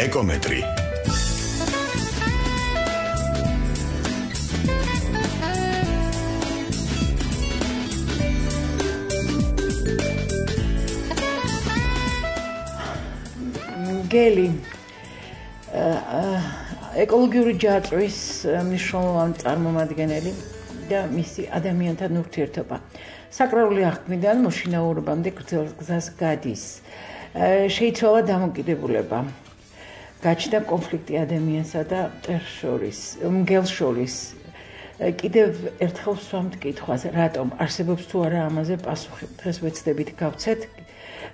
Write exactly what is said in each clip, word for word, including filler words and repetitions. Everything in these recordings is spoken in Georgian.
ეკომეტრი. გელი ეკოლოგიური ჯაჭვის მნიშვნელოვანი წარმომადგენელი და მისი ადამიანთან ურთიერთობა. საკრალური აღქმიდან მოშინაურებამდე გრძელ გზას გადის. შეიცვალა დამოკიდებულება. გაჩნდა კონფლიქტი ადამიანსა და მტერს შორის, მგელს შორის. კიდევ ერთხელ ვსვამთ კითხვას, რატომ არსებობს თუ არა ამაზე პასუხი. დღეს ვეცდებით გავცეთ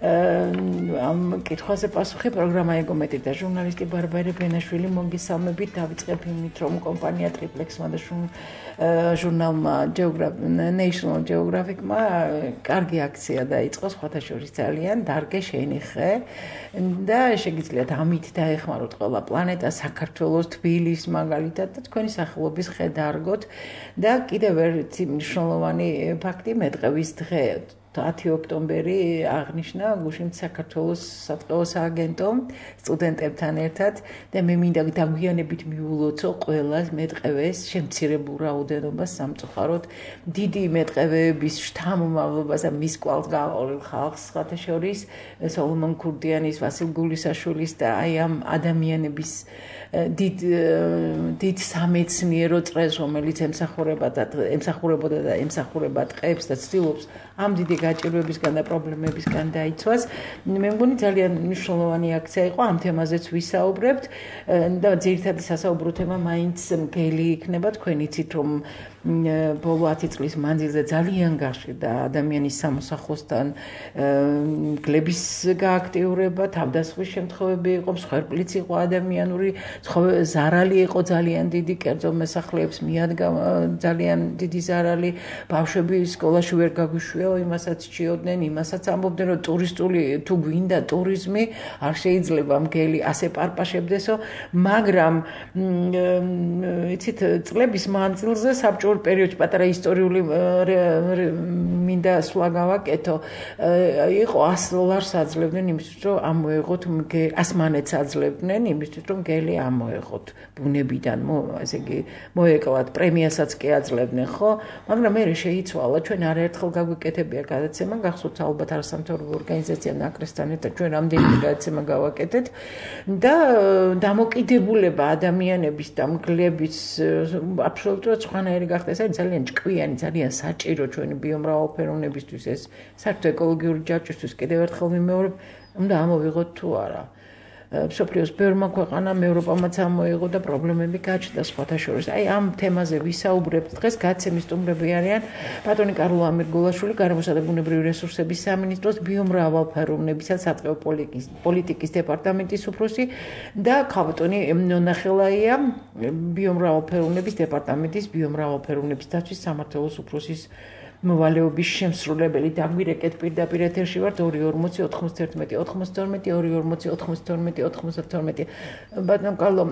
ამ კითხვაზე პასუხი პროგრამა ეკომეტრი და ჟურნალისტი ბარბარე ბენაშვილი მოგესალმებით. დავიწყებ იმით, რომ კომპანია ტრიპლექსმა და ჟურნალმა National Geographic-მა კარგი აქცია დაიწყო, სხვათა შორის ძალიან დარგე შენიხე და შეგიძლიათ ამით დაეხმაროთ ყველა პლანეტა, საქართველოს, თბილისს მაგალითად და თქვენი სახელობის ხე დაარგოთ და კიდევ ერთი მნიშვნელოვანი ფაქტი მეტყევის დღე ათი ოქტომბერი აღნიშნა გუშინ საქართველოს სატყეო სააგენტომ სტუდენტებთან ერთად და მე მინდა დაგვიანებით მიულოცო ყველას მეტყევეს შემცირებულ რაოდენობას სამწუხაროდ დიდი მეტყევების შთამომავლობას და მის კვალს გააყოლილ ხალხს სხვათა შორის სოლომონ ქურდიანის, ვასილ გულისაშვილის და აი ამ ადამიანების დიდ დიდ სამეცნიერო წრეს რომელიც ემსახურებოდა და ემსახურებოდა და ემსახურება ტყეებს და ცდილობს ამ დიდი გაჭირვებისგან და პრობლემებისგან დაიცვას. მე მგონი ძალიან მნიშვნელოვანი აქცია იყო, ამ თემაზეც ვისაუბრებთ და ძირითადი სასაუბრო თემა მაინც მგელი იქნება. თქვენ იცით, რომ ბოლო ათი წლის მანძილზე ძალიან გაშლიდა ადამიანის სამოსახლოსთან მგლების გააქტიურება, თავდასხმის შემთხვევები იყო, მსხვერპლიც იყო ადამიანური ზარალი იყო ძალიან დიდი, კერძო მოსახლეებს მიადგა ძალიან დიდი ზარალი, ბავშვები სკოლაში ვერ გაგვიშვია, იმასაც ჭიოდნენ, იმასაც ამბობდნენ, რომ ტურისტული თუ გვინდა ტურიზმი, არ შეიძლება მგელი ასე პარპაშებდესო, მაგრამ იცით, წლების მანძილზე საბჭოურ პერიოდში პატარა ისტორიული მინდა სვლა გავაკეთო, იყო ას დოლარს აძლევდნენ იმისთვის, რომ ამოეღოთ ას მანეთს აძლევდნენ იმისთვის, რომ მგელი ამოეღოთ ბუნებიდან, ესე იგი მოეკლათ, პრემიასაც კი აძლევდნენ, ხო? მაგრამ მე შეიცვალა, ჩვენ არაერთხელ გაგვიკეთებია გადაცემა, გახსოვთ ალბათ არასამთავრობო ორგანიზაცია ნაკრესთან ერთად ჩვენ რამდენიმე გადაცემა გავაკეთეთ და დამოკიდებულება ადამიანების და მგლების აბსოლუტურად სხვანაირი გახდა. ეს არის ძალიან ჭკვიანი, ძალიან საჭირო ჩვენი ბიომრავალფეროვნებისთვის, ეს საერთოდ ეკოლოგიური ჯაჭვისთვის კიდევ ერთხელ ვიმეორებ, უნდა ამოვიღოთ თუ არა. მსოფლიოს ბევრმა ქვეყანამ ევროპამაც ამოიღო და პრობლემები გაჩნდა სხვათა შორის. აი ამ თემაზე ვისაუბრებთ დღეს. გაცემის სტუმრები არიან ბატონი კარლო ამირგულაშვილი, გარემოსა და ბუნებრივი რესურსების სამინისტროს ბიომრავალფეროვნებისა და სატყეო პოლიტიკის დეპარტამენტის უფროსი და ქალბატონი ნონა ხელაია, ბიომრავალფეროვნების დეპარტამენტის ბიომრავალფეროვნების დაცვის სამმართველოს უფროსის მოვალეობის შემსრულებელი. დაგვირეკეთ პირდაპირ ეთერში ვართ ორი ორმოცი ოთხმოცდაერთმეტი ოთხმოცდაორმეტი ორი ორმოცი ოთხმოცდაორმეტი ოთხმოცდაორმეტი. ბატონ კარლო,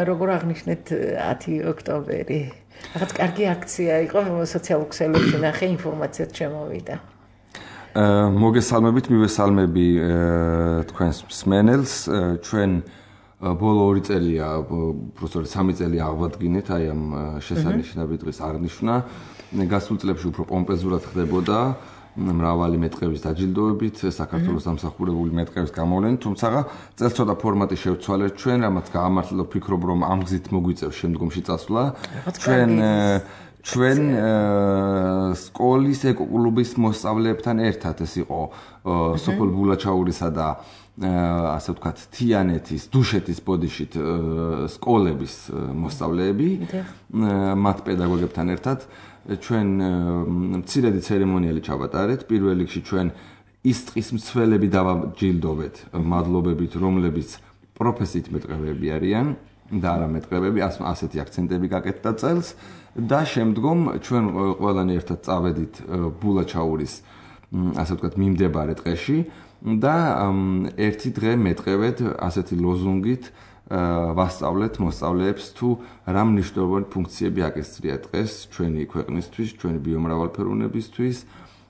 როგორ აღნიშნეთ ათი ოქტომბერი? რაღაც კარგი აქცია იყო, სოციალურ ქსელებში ნახე, ინფორმაციაც შემოვიდა. მოგესალმებით, მივესალმები თქვენს მსმენელს. ჩვენ ბოლო ორი წელია, უბრალოდ სამი წელი აღვადგინეთ აი ამ შესანიშნავი დღის აღნიშვნა. გასულ წლებში უფრო პომპეზურად ხდებოდა მრავალი მეტყევის დაჯილდოებით, საქართველოს დამსახურებული მეტყევის გამოვლენით, თუმცა წელს ცოტა ფორმატი შევცვალეთ ჩვენ, რამაც გაამართლა ვფიქრობ, რომ ამ გზით მოგვიწევს შემდგომში წასვლა. ჩვენ ჩვენ სკოლის ეკოკლუბის მოსწავლეებთან ერთად ეს იყო სოფელ ბულაჩაურისა და ასე ვთქვათ, თიანეთის, დუშეთის ბოდიშით სკოლების მოსწავლეები, მათ პედაგოგებთან ერთად ჩვენ მცირედი ცერემონიალი ჩავატარეთ. პირველ რიგში ჩვენ ის ტყის მცველები დავაჯილდოვეთ, მადლობებით, რომლებიც პროფესიით მეტყევები არიან და არა მეტყევები, ასეთი აქცენტები გაკეთდა წელს და შემდგომ ჩვენ ყველანი ერთად წავედით ბულაჩაურის, ასე ვთქვათ, მიმდებარე ტყეში და ერთი დღე მეტყევეთ ასეთი ლოზუნგით ვასწავლეთ მოსწავლეებს თუ რა მნიშვნელოვანი ფუნქციები აკისრია ტყეს ჩვენი ქვეყნისთვის, ჩვენი ბიომრავალფეროვნებისთვის,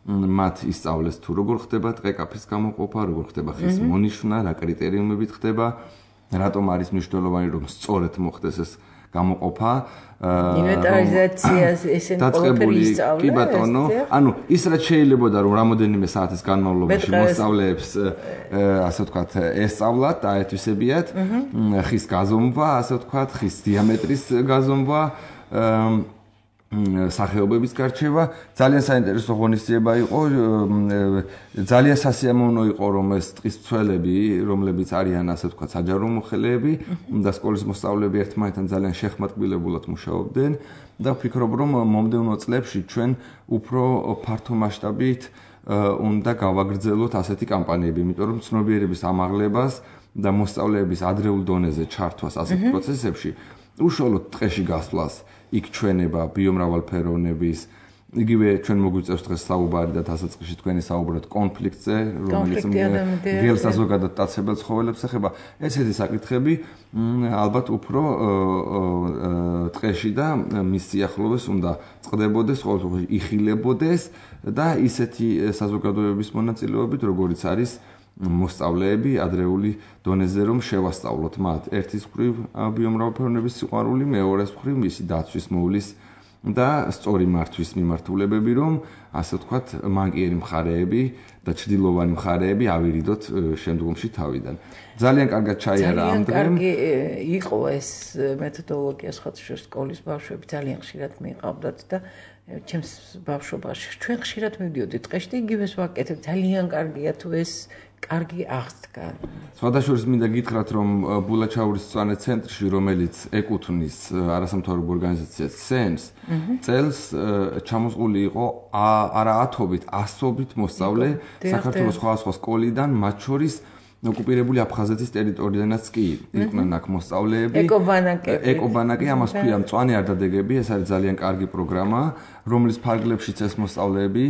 მათ ისწავლეს თუ როგორ ხდება ტყე კაფის გამოყოფა, როგორ ხდება ხის მონიშნა, რა კრიტერიუმებით ხდება რატომ არის მნიშვნელოვანი რომ სწორედ მოხდეს ეს გამოყოფა ინვენტარიზაციას ესენ ყველაფერი ისწავლეს კი ბატონო ანუ ის რაც შეიძლება რომ რამოდენიმე საათის განმავლობაში მოსწავლეებს ასე ვთქვათ ესწავლათ და აეთვისებიათ ხის გაზომვა ასე ვთქვათ ხის დიამეტრის გაზომვა სახეობების გარჩევა ძალიან საინტერესო ღონისძიება იყო ძალიან სასიამოვნო იყო რომ ეს ტყის მცველები რომლებიც არიან ასე ვთქვათ საჯარო მოხელეები და სკოლის მოსწავლეები ერთმანეთთან ძალიან შეხმატკბილებულად მუშაობდნენ და ვფიქრობ რომ მომდევნო წლებში ჩვენ უფრო ფართო მასშტაბით უნდა გავაგრძელოთ ასეთი კამპანიები იმიტომ რომ ცნობიერების ამაღლებას და მოსწავლეების ადრეულ დონეზე ჩართვას ასეთ პროცესებში უშუალოდ ტყეში გასვლას იქ ჩვენება ბიომრავალფეროვნების იგივე ჩვენ მოგვიწევს დღეს საუბარი და დასაწყისში თქვენი საუბრობთ კონფლიქტზე რომელიც გელს საზოგადოებრივ დაცებელ ცხოველებს ეხება ესეთი საკითხები ალბათ უფრო ტყეში და მის სიახლოვეს უნდა წყდებოდეს ყოველთვის იხილებოდეს და ისეთი საზოგადოებების მონაწილეობით როგორიც არის მოსწავლეები ადრეული დონეზე რომ შევასწავლოთ მათ ერთის მხრივ ბიომრავალფეროვნების სიყვარული მეორეს მხრივ მისი დაცვის მოვლის და სწორი მართვის მიმართულებები რომ ასე ვთქვათ მანკიერი მხარეები და ჭრილოვანი მხარეები ავირიდოთ შემდგომში თავიდან ძალიან კარგად ჩაიარა ამ დღემ კარგი იყო ეს მეთოდოლოგია სხვადასხვა სკოლის ბავშვები ძალიან ხშირად მიყავდათ და ჩემს ბავშვობაში ჩვენ ხშირად მივდიოდით ტყეში და იგივეს ვაკეთებ ძალიან კარგია თუ ეს კარგი აღსდგა. სხვადასხვა მინდა გითხრათ რომ ბულაჩაურის მწვანე ცენტრში რომელიც ეკუთვნის არასამთავრობო ორგანიზაციას სენს წელს ჩამოსული იყო არა ათობით ასობით მოსწავლე საქართველოს სხვადასხვა სკოლიდან მათ შორის ოკუპირებული აფხაზეთის ტერიტორიიდანაც კი იყვნენ აქ მოსწავლეები ეკობანაკები ეკობანაკი ამას ქვია მწვანე არდადეგები ეს არის ძალიან კარგი პროგრამა რომლის ფარგლებშიც ეს მოსწავლეები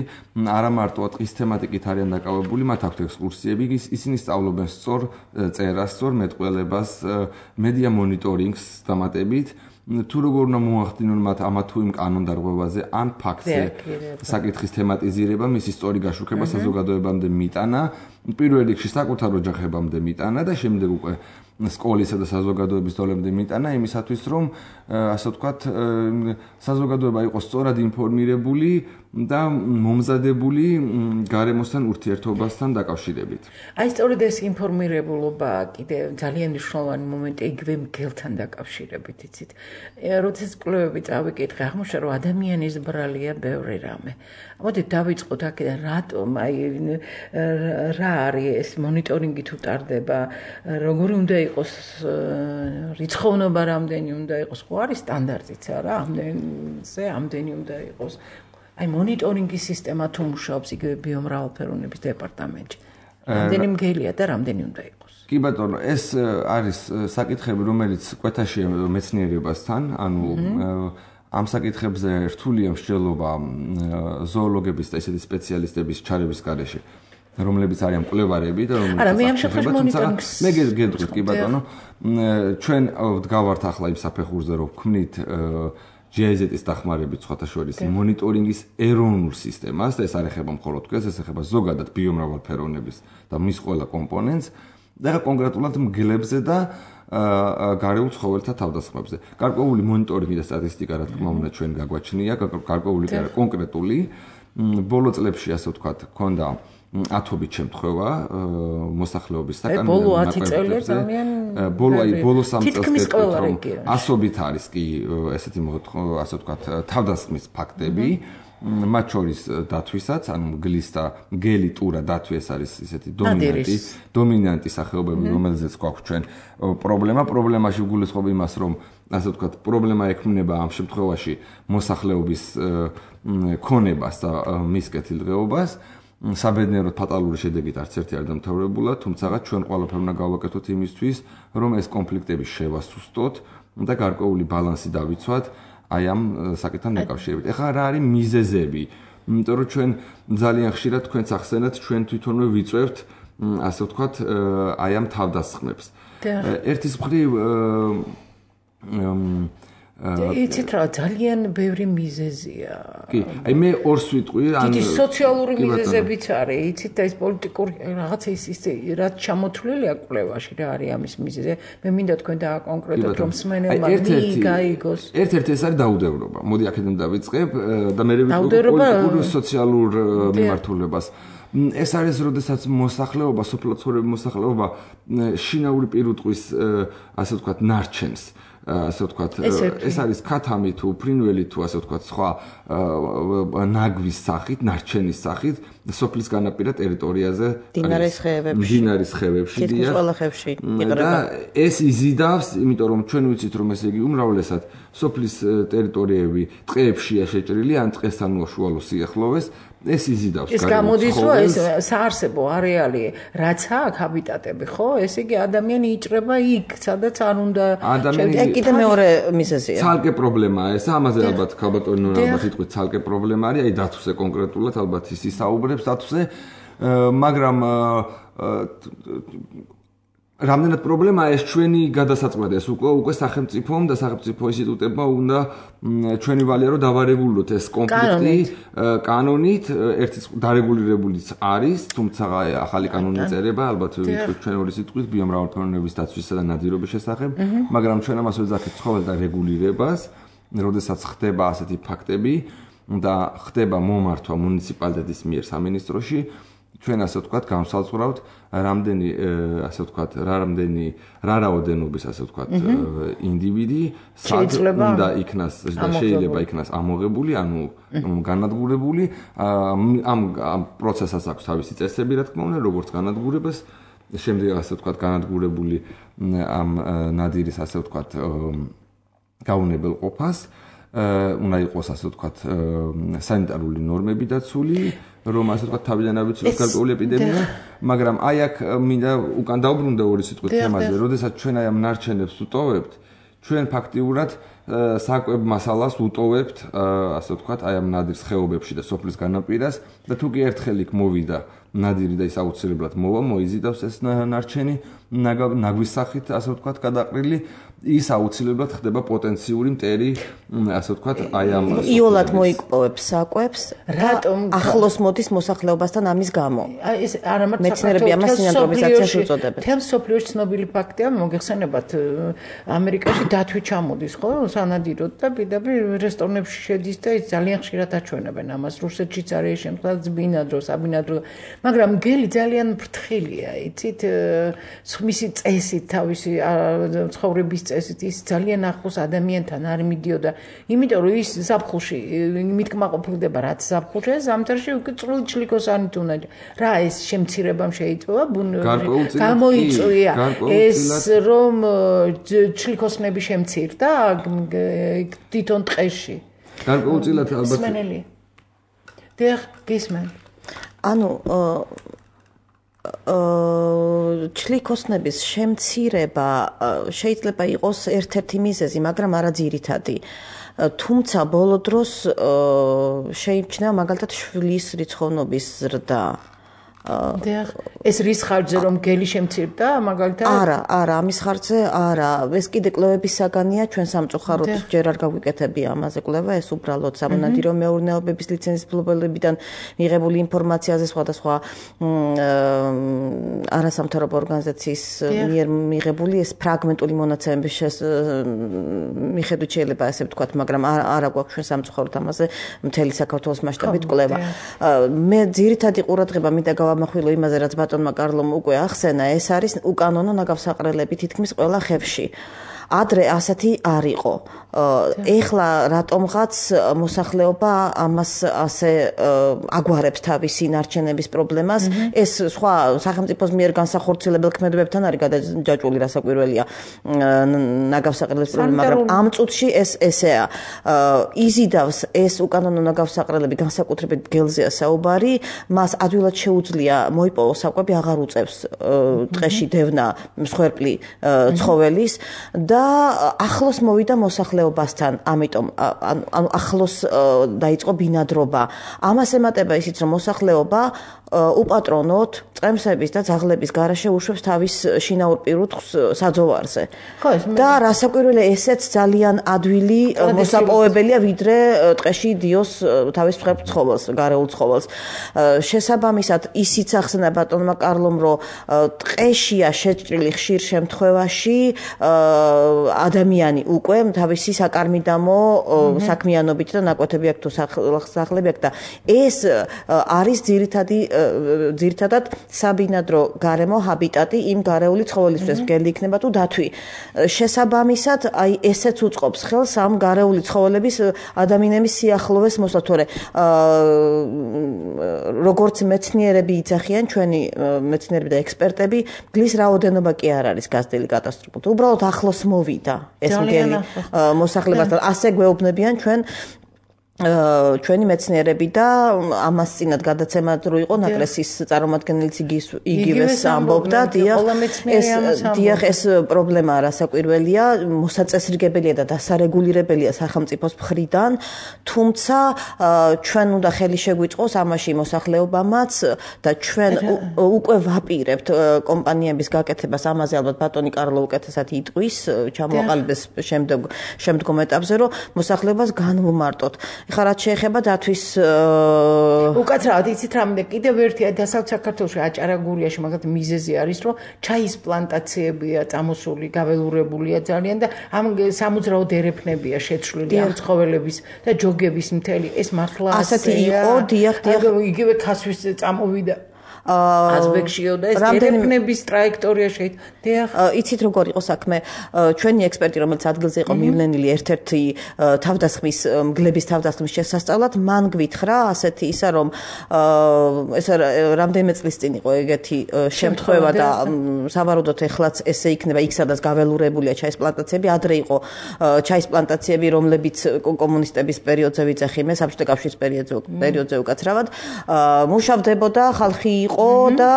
არა მარტო ტყის თემატიკით არიან დაკავებული მათ აქვთ ექსკურსიები ისინი სწავლობენ სწორ წერას სწორ მეტყველებას მედია მონიტორინგს დამატებით თუ როგორ უნდა მოახდინონ მათ ამა თუ იმ კანონდარღვევაზე ან ფაქტზე საკითხის თემატიზირება მისი სწორი გაშუქება საზოგადოებამდე მიტანა პირველ რიგში საკუთარ ოჯახებამდე მიტანა და შემდეგ უკვე სკოლისა და საზოგადოების დონემდე მიტანა იმისათვის რომ ასე ვთქვათ საზოგადოება იყოს სწორად ინფორმირებული და მომზადებული გარემოსთან ურთიერთობასთან დაკავშირებით. აი სწორედ ეს ინფორმირებულობა კიდე ძალიან მნიშვნელოვანი მომენტია იგივე მგელთან დაკავშირებით, იცით. როდესაც კვლევები წავიკითხე, აღმოჩნდა რომ ადამიანის ბრალია ბევრი რამე. მოდით დავიწყოთ აქედან რატომ აი რა არის ეს მონიტორინგი თუ ტარდება, როგორი უნდა იყოს რიცხოვნობა რამდენი უნდა იყოს, ხო არის სტანდარტიც არა, ამდენზე ამდენი უნდა იყოს. აი მონიტორინგის სისტემა თუ მუშაობს იგივე ბიომრავალფეროვნების დეპარტამენტში. რამდენი მგელია და რამდენი უნდა იყოს. კი ბატონო, ეს არის საკითხები, რომელიც კვეთაშია მეცნიერებასთან, ანუ ამ საკითხებზე რთულია მსჯელობა ზოოლოგების და ისეთი სპეციალისტების ჩარების გარეშე, რომლებიც არიან მკვლევარები და რომლებიც არა, მე ამ შემთხვევაში მონიტორინგს მე გეტყვით კი ბატონო, ჩვენ ვდგავართ ახლა იმ საფეხურზე, რომ ვქმნით ჯი აი ზეტ-ის დახმარებით სხვათაშორის მონიტორინგის ეროვნულ სისტემას და ეს არ ეხება მხოლოდ თქვენს, ეს ეხება ზოგადად ბიომრავალფეროვნების და მის ყველა კომპონენტს და კონკრეტულად მგლებზე და გარეულ ცხოველთა თავდასხმებზე. გარკვეული მონიტორინგი და სტატისტიკა რა თქმა უნდა ჩვენ გაგვაჩნია, გარკვეული კი არა კონკრეტული ბოლო წლებში ასე ვთქვათ, ქონდა ათობით შემთხვევა მოსახლეობის საკანონმდებლო ბოლო ათი წელი ძალიან ბოლო აი ბოლო სამ წელს რომ ასობით არის კი ესეთი ასე ვთქვათ თავდასხმის ფაქტები მათ შორის დათვისაც ანუ მგლის და მგელი ტურა დათვი ეს არის ესეთი დომინანტი დომინანტი სახეობები რომელზეც გვაქვს ჩვენ პრობლემა პრობლემაში ვგულისხმობ იმას რომ ასე ვთქვათ პრობლემა ექმნება ამ შემთხვევაში მოსახლეობის ქონებას და მის კეთილდღეობას საბედნიეროდ ფატალური შედეგით არც ერთი არ დამთავრებულა, თუმცა ჩვენ ყველაფერი უნდა გავაკეთოთ იმისთვის, რომ ეს კონფლიქტები შევასუსტოთ და გარკვეული ბალანსი დავიცვათ აი ამ საკითხთან დაკავშირებით. ეხლა რა არის მიზეზები? იმიტომ რომ ჩვენ ძალიან ხშირად თქვენს ახსენეთ, ჩვენ თვითონვე ვიწევთ, ასე ვთქვათ, აი ამ თავდასხმებს. ერთის მხრივ იცით რა ძალიან ბევრი მიზეზია. კი, აი მე ორს ვიტყვი, ან დიდი სოციალური მიზეზებიც არის, იცით და ეს პოლიტიკური რაღაცა ის ის რაც ჩამოთვლილია კვლევაში რა არის ამის მიზეზი. მე მინდა თქვენ დააკონკრეტოთ რომ მსმენელმა გაიგოს. ერთ-ერთი ეს არის დაუდევრობა. მოდი აქედან დავიწყებ და მე ვიტყვი პოლიტიკური სოციალურ მიმართულებას. ეს არის როდესაც მოსახლეობა, სოფლო ცხოვრების მოსახლეობა შინაური პირუტყვის ასე ვთქვათ ნარჩენს ასე ვთქვათ ეს არის ქათამი თუ ფრინველი თუ ასე ვთქვათ სხვა ნაგვის სახით, ნარჩენის სახით სოფლის განაპირა ტერიტორიაზე დინარის ხეებებში დინარის ხეებში თითქმის ყველა ხევში იყრება ეს იზიდავს, იმიტომ რომ ჩვენ ვიცით რომ ესე იგი უმრავლესად სოფლის ტერიტორიები ტყეებშია შეჭრილი ან ტყესთან უშუალო სიახლოვეს ეს იზიდავს ეს გამოდის რომ ეს საარსებო არეალი რაც აქვს ჰაბიტატები ხო ესე იგი ადამიანი იჭრება იქ სადაც არ უნდა ეს კიდე მეორე მიზეზია ცალკე პრობლემაა ეს ამაზე ალბათ ქალბატონი ნონა ალბათ იტყვით ცალკე პრობლემა არის აი დათვზე კონკრეტულად ალბათ ის ისაუბრებს დათვზე მაგრამ რამდენად პრობლემაა ეს ჩვენი გადასაწყვეტი ეს უკვე უკვე სახელმწიფომ და სახელმწიფო ინსტიტუტებმა უნდა ჩვენი ვალია რომ დავარეგულოთ ეს კონფლიქტი კანონით ერთი დარეგულირებულიც არის თუმცა ახალი კანონი წერება ალბათ ჩვენ ორი სიტყვით ბიომრავალფეროვნების დაცვისა და ნადირობის შესახებ მაგრამ ჩვენ ამას ვეძახით ცხოველთა რეგულირებას როდესაც ხდება ასეთი ფაქტები და ხდება მომართვა მუნიციპალიტეტის მიერ სამინისტროში ჩვენ ასე ვთქვათ გამსალწურავთ რამდენი ასე ვთქვათ რამდენი რა რაოდენობის ასე ვთქვათ ინდივიდი უნდა იქნას და შეიძლება იქნას ამოღებული ანუ განადგურებული ამ ამ პროცესას აქვს თავისი წესები რა თქმა უნდა როგორც განადგურებას შემდეგ ასე ვთქვათ განადგურებული ამ ნადირის ასე ვთქვათ გაუნებელ ყოფას უნდა იყოს ასე ვთქვათ სანიტარული ნორმები დაცული რომ ასე ვთქვათ თავიდან ავიცილოთ გარკვეული ეპიდემია მაგრამ აი აქ მინდა უკან დავბრუნდე ორი სიტყვით თემაზე როდესაც ჩვენ აი ამ ნარჩენებს ვუტოვებთ ჩვენ ფაქტიურად საკვებ მასალას ვუტოვებთ ასე ვთქვათ აი ამ ნადირს ხეობებში და სოფლის განაპირას და თუ კი ერთხელ იქ მოვიდა ნადირი და ის აუცილებლად მოვა მოიზიდავს ეს ნარჩენი ნაგვის სახით ასე ვთქვათ გადაყრილი ის აუცილებლად ხდება პოტენციური მტერი ასე ვთქვათ აი ამ იოლად მოიკპოვებს საკვებს რატომ ახლოს მოდის მოსახლეობასთან ამის გამო აი ეს არა მარტო მეცნიერები ამას სინანტრობიზაციას უწოდებენ თემ სოფლიოში ცნობილი ფაქტია მოგეხსენებათ ამერიკაში დათვი ჩამოდის ხო სანადიროდ და პირდაპირ რესტორნებში შედის და ის ძალიან ხშირად აჩვენებენ ამას რუსეთშიც არის შემთხვევა ბინადრო საბინადრო მაგრამ გელი ძალიან ფრთხილია იცით მისი წესით თავისი ცხოვრების წესით ის ძალიან ახლოს ადამიანთან არ მიდიოდა იმიტომ რომ ის ზაფხულში მითქმაყოფილდება რაც ზაფხულში ზამთარში უკვე წვრილი ჩლიქოსანით უნდა რა ეს შემცირებამ შეიძლება გამოიწვია ეს რომ ჩლიქოსნები შემცირდა თვითონ ტყეში გარკვეულწილად ალბათ სმენელი დიახ გისმენ ანუ ჩლიქოსნების შემცირება შეიძლება იყოს ერთ-ერთი მიზეზი, მაგრამ არა ძირითადი. თუმცა ბოლო დროს შეიმჩნევა მაგალითად შვილის რიცხოვნობის ზრდა. დიახ, ეს რის ხარჯზე რომ გელი შემცირდა, მაგალითად? არა, არა, ამის ხარჯზე არა. ეს კიდე კვლევების საგანია, ჩვენ სამწუხაროდ ჯერ არ გავიკეთებია ამაზე კვლევა, ეს უბრალოდ სამონადირო მეურნეობების ლიცენზიის მფლობელებიდან მიღებული ინფორმაციაზე სხვადასხვა არასამთავრობო ორგანიზაციის მიერ მიღებული ეს ფრაგმენტული მონაცემების მიხედვით შეიძლება ასე ვთქვათ, მაგრამ არა გვაქვს ჩვენ სამწუხაროდ ამაზე მთელი საქართველოს მასშტაბით კვლევა. მე ძირითადი ყურადღება მინდა გავამახვილო იმაზე, რაც ბატონმა კარლომ უკვე ახსენა, ეს არის უკანონო ნაგავსაყრელები თითქმის ყველა ხევში. ადრე ასეთი არ იყო. ეხლა რატომღაც მოსახლეობა ამას ასე აგვარებს თავისი ნარჩენების პრობლემას, ეს სხვა სახელმწიფოს მიერ განსახორციელებელ ქმედებებთან არის გადაჯაჭვული რასაკვირველია ნაგავსაყრელების პრობლემა, მაგრამ ამ წუთში ეს ესეა. იზიდავს ეს უკანონო ნაგავსაყრელები განსაკუთრებით გელზეა საუბარი, მას ადვილად შეუძლია მოიპოვოს საკვები, აღარ უწევს ტყეში დევნა მსხვერპლი ცხოველის და და ახლოს მოვიდა მოსახლეობასთან, ამიტომ ანუ ახლოს დაიწყო ბინადრობა. ამას ემატება ისიც, რომ მოსახლეობა უპატრონოდ წემსების და ძაღლების გარეშე უშვებს თავის შინაურ პირუტყვს საძოვარზე. და რასაკვირველია, ესეც ძალიან ადვილი მოსაპოვებელია, ვიდრე ტყეში დიოს თავის ცხოველს, გარეულ ცხოველს. შესაბამისად, ისიც ახსენა ბატონმა კარლომ, რომ ტყეშია შეჭრილი ხშირ შემთხვევაში ადამიანი უკვე თავისი საკარმიდამო საქმიანობით და ნაკვეთები აქვს თუ სახლები აქვს და ეს არის ძირითადი ძირითადად საბინადრო გარემო ჰაბიტატი იმ გარეული ცხოველისთვის, მგელი იქნება თუ დათვი. შესაბამისად, აი ესეც უწყობს ხელს ამ გარეული ცხოველების ადამიანების სიახლოვეს მოსვლა, თორე როგორც მეცნიერები იცახიან, ჩვენი მეცნიერები და ექსპერტები, მგლის რაოდენობა კი არ არის გაზრდილი კატასტროფული. უბრალოდ ახლოს მოვიდა ეს მგელი მოსახლებასთან. ასე გვეუბნებიან ჩვენ ჩვენი მეცნიერები და ამას წინათ გადაცემა რო იყო ნაკრესის წარმომადგენელიც იგივეს ამბობდა, დიახ, ეს დიახ ეს პრობლემა რასაკვირველია, მოსაწესრიგებელია და დასარეგულირებელია სახელმწიფოს მხრიდან, თუმცა ჩვენ უნდა ხელი შეგვიწყოს ამაში მოსახლეობამაც და ჩვენ უკვე ვაპირებთ კომპანიების გაკეთებას, ამაზე ალბათ ბატონი კარლო უკეთესად იტყვის, ჩამოაყალიბეს შემდეგ შემდგომ ეტაპზე, რომ მოსახლეობას განვუმარტოთ. ხა რაც შეეხება დათვის უკაცრავად იცით რამე კიდევ ერთი დასავლთ საქართველოში აჭარაგურიაში მაგათ მიზეზი არის რომ ჩაის პლანტაციებია წამოსული გაველურებულია ძალიან და ამ სამოძრაო დერეფნებია შეცვლილი ამ ცხოველების და ჯოგების მთელი ეს მართლა ასეთი იყო დიახ დიახ იგივე ქასვის წამოვიდა აზბეკშიო და ეს დერეფნების ტრაექტორია შეიძლება. იცით როგორ იყო საქმე? ჩვენი ექსპერტი, რომელიც ადგილზე იყო მივლენილი ერთ-ერთი თავდასხმის მგლების თავდასხმის შესასწავლად, მან გვითხრა ასეთი ისა, რომ ეს რამდენიმე წლის წინ იყო ეგეთი შემთხვევა და სავარაუდოდ ეხლაც ესე იქნება, იქ სადაც გაველურებულია ჩაის პლანტაციები, ადრე იყო ჩაის პლანტაციები, რომლებიც კომუნისტების პერიოდზე ვიძახიმე, საბჭოთა კავშირის პერიოდზე პერიოდზე უკაცრავად მუშავდებოდა, ხალხი იყო და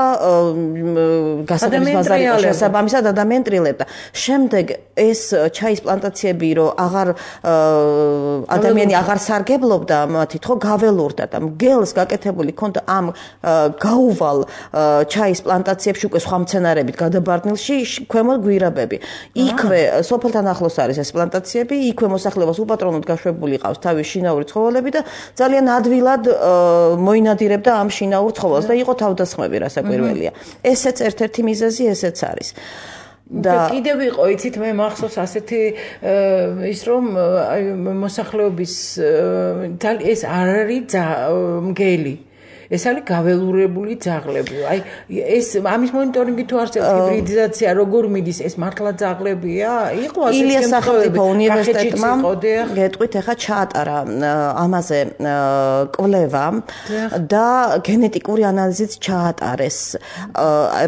გასაგების ბაზარი იყო შესაბამისად ადამიანი ტრილებდა. შემდეგ ეს ჩაის პლანტაციები, რომ აღარ ადამიანი აღარ სარგებლობდა მათით, ხო გაველურდა და მგელს გაკეთებული ქონდა ამ გაუვალ ჩაის პლანტაციებში უკვე სხვა მცენარებით გადაბარდნილში ქვემოთ გვირაბები. იქვე სოფელთან ახლოს არის ეს პლანტაციები, იქვე მოსახლეობას უპატრონოდ გაშვებული ყავს თავის შინაური ცხოველები და ძალიან ადვილად მოინადირებდა ამ შინაურ ცხოველს და იყო თავდასხმები რასაკვირველია. ესეც ერთ-ერთი მიზეზი ესეც არის. და კიდევ იყო, იცით, მე მახსოვს ასეთი ის რომ მოსახლეობის ეს არ არის მგელი. ეს არის გაველურებული ძაღლები. აი ეს ამის მონიტორინგი თუ არსებობს ჰიბრიდიზაცია როგორ მიდის, ეს მართლა ძაღლებია? იყო ასეთი ილიას სახელმწიფო უნივერსიტეტმა გეტყვით ახლა ჩაატარა ამაზე კვლევა და გენეტიკური ანალიზიც ჩაატარეს.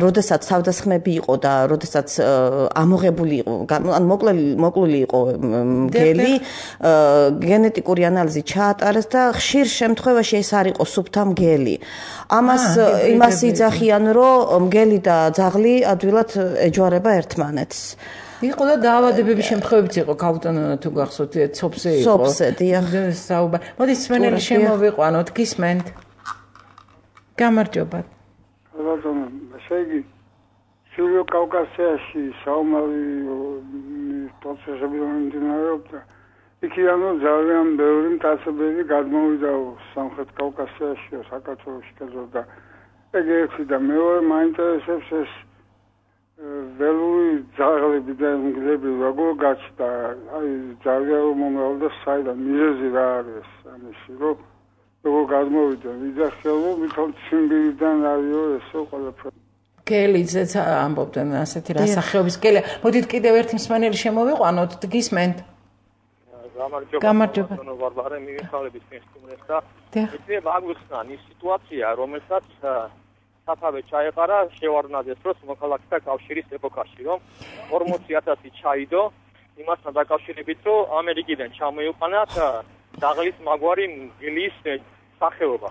როდესაც თავდასხმები იყო და როდესაც ამოღებული იყო, ანუ მოკლული იყო მგელი, გენეტიკური ანალიზი ჩაატარეს და ხშირ შემთხვევაში ეს არ იყო სუფთა მგელი. ამას იმას იძახიან, რომ მგელი და ძაღლი ადვილად ეჯვარება ერთმანეთს. იყო და დაავადებების შემთხვევებიც იყო, გაუტანონა თუ გახსოვთ, ცოფზე იყო. ცოფზე, დიახ. საუბარი. მოდით სმენელი შემოვიყვანოთ, გისმენთ. გამარჯობა. ბატონო, ესე იგი, შურო კავკასიაში საომარი პროცესები მიმდინარეობდა. იქიანო ძალიან ბევრი მტაცებელი გადმოვიდა სამხრეთ კავკასიაში, საქართველოში და ეგეთი და მეორე მაინტერესებს ეს ველური ძაღლები და მგლები როგორ გაჩნდა, აი ძალიან მომრავლდა საიდან, მიზეზი რა არის ამისი, რომ როგორ გადმოვიდა, ვიძახელო, ვითომ ციმბირიდან არისო ესო ყველაფერი. გელიძეც ამბობდნენ ასეთი რასახეობის გელი. მოდით კიდევ ერთი მსმენელი შემოვიყვანოთ, გისმენთ. გამარჯობა. ვარვარე მივიხარების ფესტივალს და იქნება აგვიხსნან ის სიტუაცია, რომელსაც საფავე ჩაეყარა შევარდნაძეს დროს მოქალაქეთა კავშირის ეპოქაში, რომ ორმოცი ათასი ჩაიდო იმასთან დაკავშირებით, რომ ამერიკიდან ჩამოიყვანათ დაღლის მაგვარი მგლის სახეობა,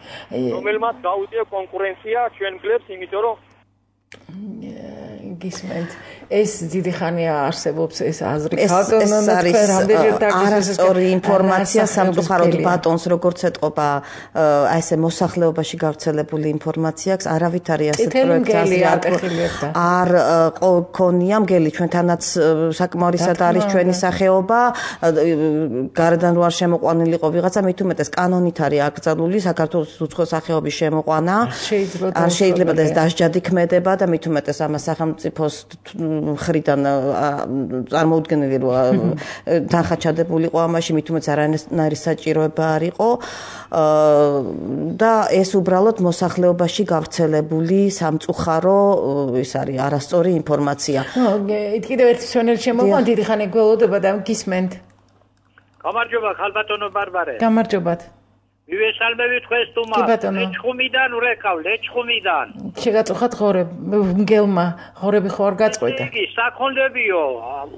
რომელმაც გაუწია კონკურენცია ჩვენ მგლებს, იმიტომ რომ გისმენთ. ეს დიდი ხანია არსებობს ეს აზრი. ბატონო, თქვენ რამდენჯერ არასწორი ინფორმაცია სამწუხაროდ ბატონს როგორც ეთყობა აი ესე მოსახლეობაში გავრცელებული ინფორმაცია აქვს, არავით არის ასეთ პროექტს არ ქონია მგელი ჩვენთანაც საკმარისად არის ჩვენი სახეობა, გარედან რო არ შემოყვანილიყო ვიღაცა, მით უმეტეს კანონით არის აკრძალული საქართველოს უცხო სახეობის შემოყვანა. არ შეიძლება ეს დასჯადი ქმედება და მით უმეტეს ამას სახელმწიფოს მხრიდან წარმოუდგენელი როა თანხაჩადებულიყო ამაში, მით უმეტეს არანაირი საჭიროება არ იყო და ეს უბრალოდ მოსახლეობაში გავრცელებული სამწუხარო ის არის არასწორი ინფორმაცია. ნუ კიდევ ერთი სვენელი შემოყვან, დიდი ხანი გველოდება და გისმენთ. გამარჯობა, ხალბატონო ბარბარე. გამარჯობათ. მივესალმები თქვენს თუმა. ლეჩხუმიდან ურეკავ, ლეჩხუმიდან. შეგაწუხათ ღორებ, მგელმა ღორები ხო არ გაწყვეტა. იგი საქონლებიო,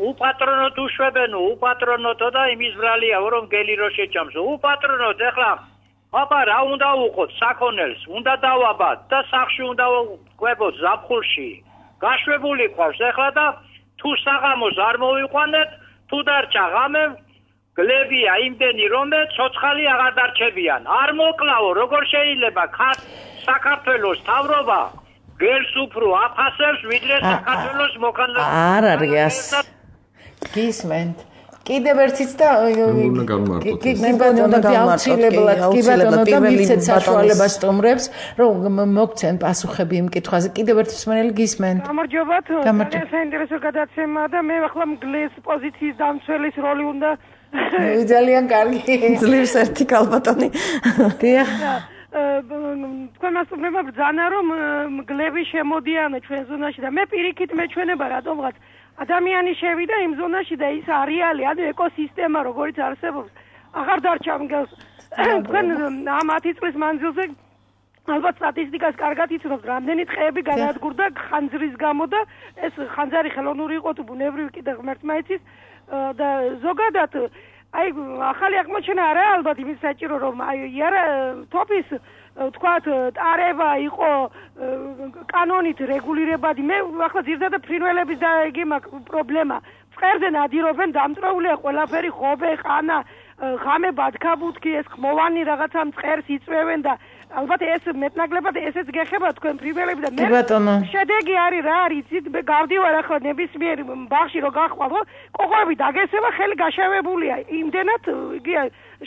უპატრონოთ უშვებენო, უპატრონოთო და იმის ბრალია, რომ გელი რო შეჭამს. უპატრონოთ, ეხლა აბა რა უნდა უყოთ საქონელს, უნდა დავაბათ და სახში უნდა ყვებოთ ზაფხულში. გაშვებული ყავს ეხლა და თუ საღამოს არ მოვიყვანეთ, თუ დარჩა ღამე გლებია იმდენი რომ ცოცხალი აღარ დარჩებიან. არ მოკლავო, როგორ შეიძლება საქართველოს თავრობა გელს უფრო აფასებს, ვიდრე საქართველოს მოქანდაკე. არ არის. გისმენთ. კიდევ ერთიც და უნდა გამარტოთ. კი ბატონო, აუცილებლად, კი ბატონო და მიცეთ საშუალებას სტუმრებს, რომ მოგცენ პასუხები იმ კითხვაზე. კიდევ ერთი მსმენელი გისმენთ. გამარჯობათ. ძალიან საინტერესო გადაცემა და მე ახლა მგლის პოზიციის დამცველის როლი უნდა ძალიან კარგი. ძლივს ერთი კალბატონი. დიახ. თქვენ მასწავლებმა ბრძანა რომ მგლები შემოდიან ჩვენ ზონაში და მე პირიქით მეჩვენება რატომღაც ადამიანი შევიდა იმ ზონაში და ის არეალი, ანუ ეკოსისტემა როგორც არსებობს, აღარ დარჩა მგელს. თქვენ ამ ათი წლის მანძილზე ალბათ სტატისტიკას კარგად იცნობთ, რამდენი ტყეები განადგურდა ხანძრის გამო და ეს ხანძარი ხელოვნური იყო თუ ბუნებრივი კიდე ღმერთმა იცის და ზოგადად აი ახალი აღმოჩენა არა ალბათ იმის საჭირო რომ აი იარა თოფის თქვათ ტარება იყო კანონით რეგულირებადი. მე ახლა ძირითადად ფრინველების და იგი მაქვს პრობლემა. წყერზე ნადირობენ, დამწროულია ყველაფერი, ხობე, ყანა, ღამე ბათქაბუთქი, ეს ხმოვანი რაღაცა მწყერს იწვევენ და ალბათ ეს მეტნაკლებად ესეც გეხება თქვენ ფრინველები და მე შედეგი არის რა არის იცით გავდივარ ახლა ნებისმიერ ბაღში რო გახვალ ხო კოღოები დაგესება ხელი გაშავებულია იმდენად იგი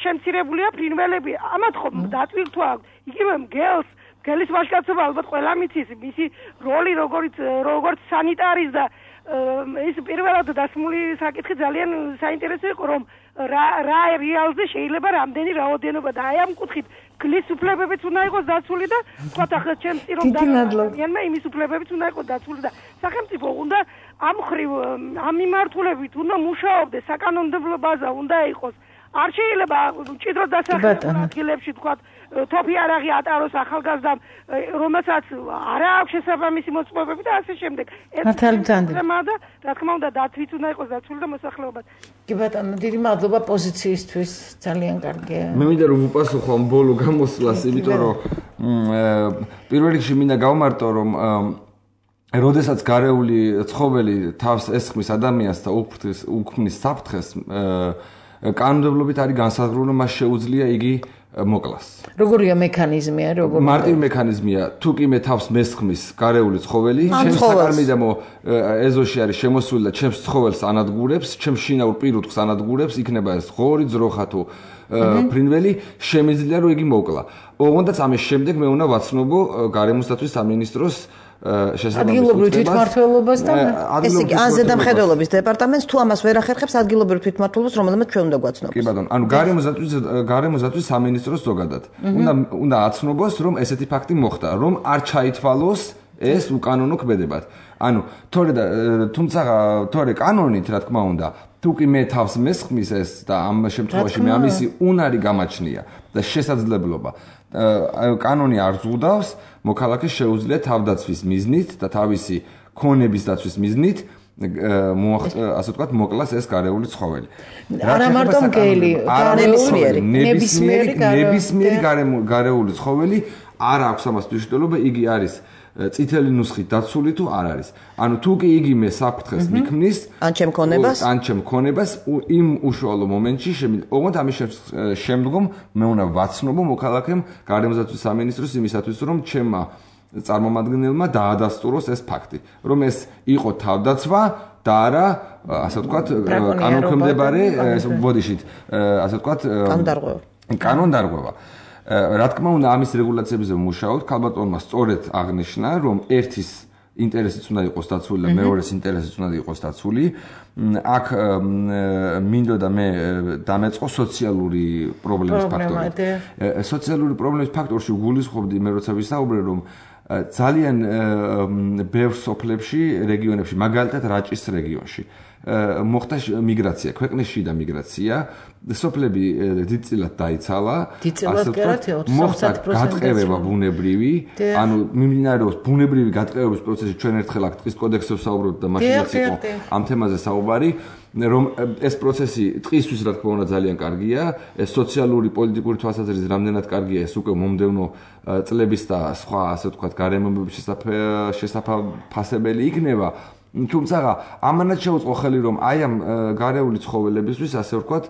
შემცირებულია ფრინველები ამათ ხომ დატვირთვა იგივე მგელს მგელის ვაჟკაცობა ალბათ ყველა მიცის მისი როლი როგორც როგორც სანიტარის და ის პირველად დასმული საკითხი ძალიან საინტერესო იყო რომ რა რა რეალზე შეიძლება რამდენი რაოდენობა და აი ამ კუთხით გლის უფლებებიც უნდა იყოს დაცული და თქვათ ახლა ჩემს წირომ დაგიანმა იმის უფლებებიც უნდა იყოს დაცული და სახელმწიფო უნდა ამ ხრივ ამ მიმართულებით უნდა მუშაობდეს საკანონმდებლო ბაზა უნდა იყოს არ შეიძლება ჭიდრო დასახელება ადგილებში თქვათ თოფი არაღი ატაროს ახალგაზრდამ რომელსაც არა აქვს შესაბამისი მოწყობები და ასე შემდეგ მართალი თემა და რა თქმა უნდა დაცვით უნდა იყოს დაცული და მოსახლეობაც კი ბატონო დიდი მადლობა პოზიციისთვის ძალიან კარგია მე მინდა რომ უპასუხო ამ ბოლო გამოსვლას იმიტომ რომ პირველ რიგში მინდა გავმარტო რომ როდესაც გარეული ცხოველი თავს ესხმის ადამიანს და უქმნის უქმნის საფრთხეს კანონმდებლობით არის განსაზღვრული რომ მას შეუძლია იგი მოკლას. როგორია მექანიზმია, როგორ მარტივი მექანიზმია, თუ კი მე თავს მესხმის გარეული ცხოველი, ჩემს საკარმიდამო ეზოში არის შემოსული და ჩემს ცხოველს ანადგურებს, ჩემს შინაურ პირუტყვს ანადგურებს, იქნება ეს ღორი, ძროხა თუ ფრინველი, შემიძლია რომ იგი მოკლა. ოღონდ ამის შემდეგ მე უნდა ვაცნობო გარემოსდაცვის სამინისტროს ადგილობრივ თვითმმართველობასთან ეს იგი ან ზედამხედველობის დეპარტამენტს თუ ამას ვერ ახერხებს ადგილობრივ თვითმმართველობას რომელმაც ჩვენ უნდა გვაცნობს. კი ბატონო, ანუ გარემოსდაცვის გარემოსდაცვის სამინისტროს ზოგადად. უნდა უნდა აცნობოს რომ ესეთი ფაქტი მოხდა, რომ არ ჩაითვალოს ეს უკანონო ქმედებად. ანუ თორე და თუმცა თორე კანონით რა თქმა უნდა თუ კი მე თავს მესხმის ეს და ამ შემთხვევაში მე ამისი უნარი გამაჩნია და შესაძლებლობა კანონი არ ზღუდავს მოქალაქეს შეუძლია თავდაცვის მიზნით და თავისი ქონების დაცვის მიზნით ასე ვთქვათ მოკლას ეს გარეული ცხოველი. არა მარტო მგელი, ნებისმიერი, ნებისმიერი ნებისმიერი გარეული ცხოველი არ აქვს ამას მნიშვნელობა, იგი არის წითელი ნუსხით დაცული თუ არ არის. ანუ თუ კი იგიმე საფრთხეს მიქმნის, ან ჩემ ქონებას, ან ჩემ ქონებას იმ უშუალო მომენტში, ოღონდ ამის შემდგომ მე უნდა ვაცნობო მოქალაქემ გარემოსდაცვის სამინისტროს იმისათვის, რომ ჩემმა წარმომადგენელმა დაადასტუროს ეს ფაქტი, რომ ეს იყო თავდაცვა და არა, ასე ვთქვათ, კანონქვემდებარე, ბოდიშით, ასე ვთქვათ, კანონდარღვევა. კანონდარღვევა. რა თქმა უნდა, ამის რეგულაციებზე ვმუშაობთ, ქალბატონმა სწორედ აღნიშნა, რომ ერთის ინტერესიც უნდა იყოს დაცული და მეორეს ინტერესიც უნდა იყოს დაცული. აქ მინდოდა მე დამეწყო სოციალური პრობლემის ფაქტორი. სოციალური პრობლემის ფაქტორში გულისხმობდი მე როცა ვისაუბრე, რომ ძალიან ბევრ სოფლებში, რეგიონებში, მაგალითად რაჭის რეგიონში მოხდა მიგრაცია, ქვეყნის შიდა მიგრაცია, სოფლები დიდწილად დაიცალა, ასე ვთქვათ, მოხდა გატყევება ბუნებრივი, ანუ მიმდინარეობს ბუნებრივი გატყევების პროცესი, ჩვენ ერთხელ აქ ტყის კოდექსზე ვსაუბრობთ და მაშინაც იყო ამ თემაზე საუბარი, რომ ეს პროცესი ტყისთვის რა თქმა უნდა ძალიან კარგია, ეს სოციალური პოლიტიკური თვალსაზრისით რამდენად კარგია, ეს უკვე მომდევნო წლების და სხვა, ასე ვთქვათ, გარემოებების შესაფასებელი იქნება. თუმცა ამანაც შეუწყო ხელი, რომ აი ამ გარეული ცხოველებისთვის, ასე ვთქვათ,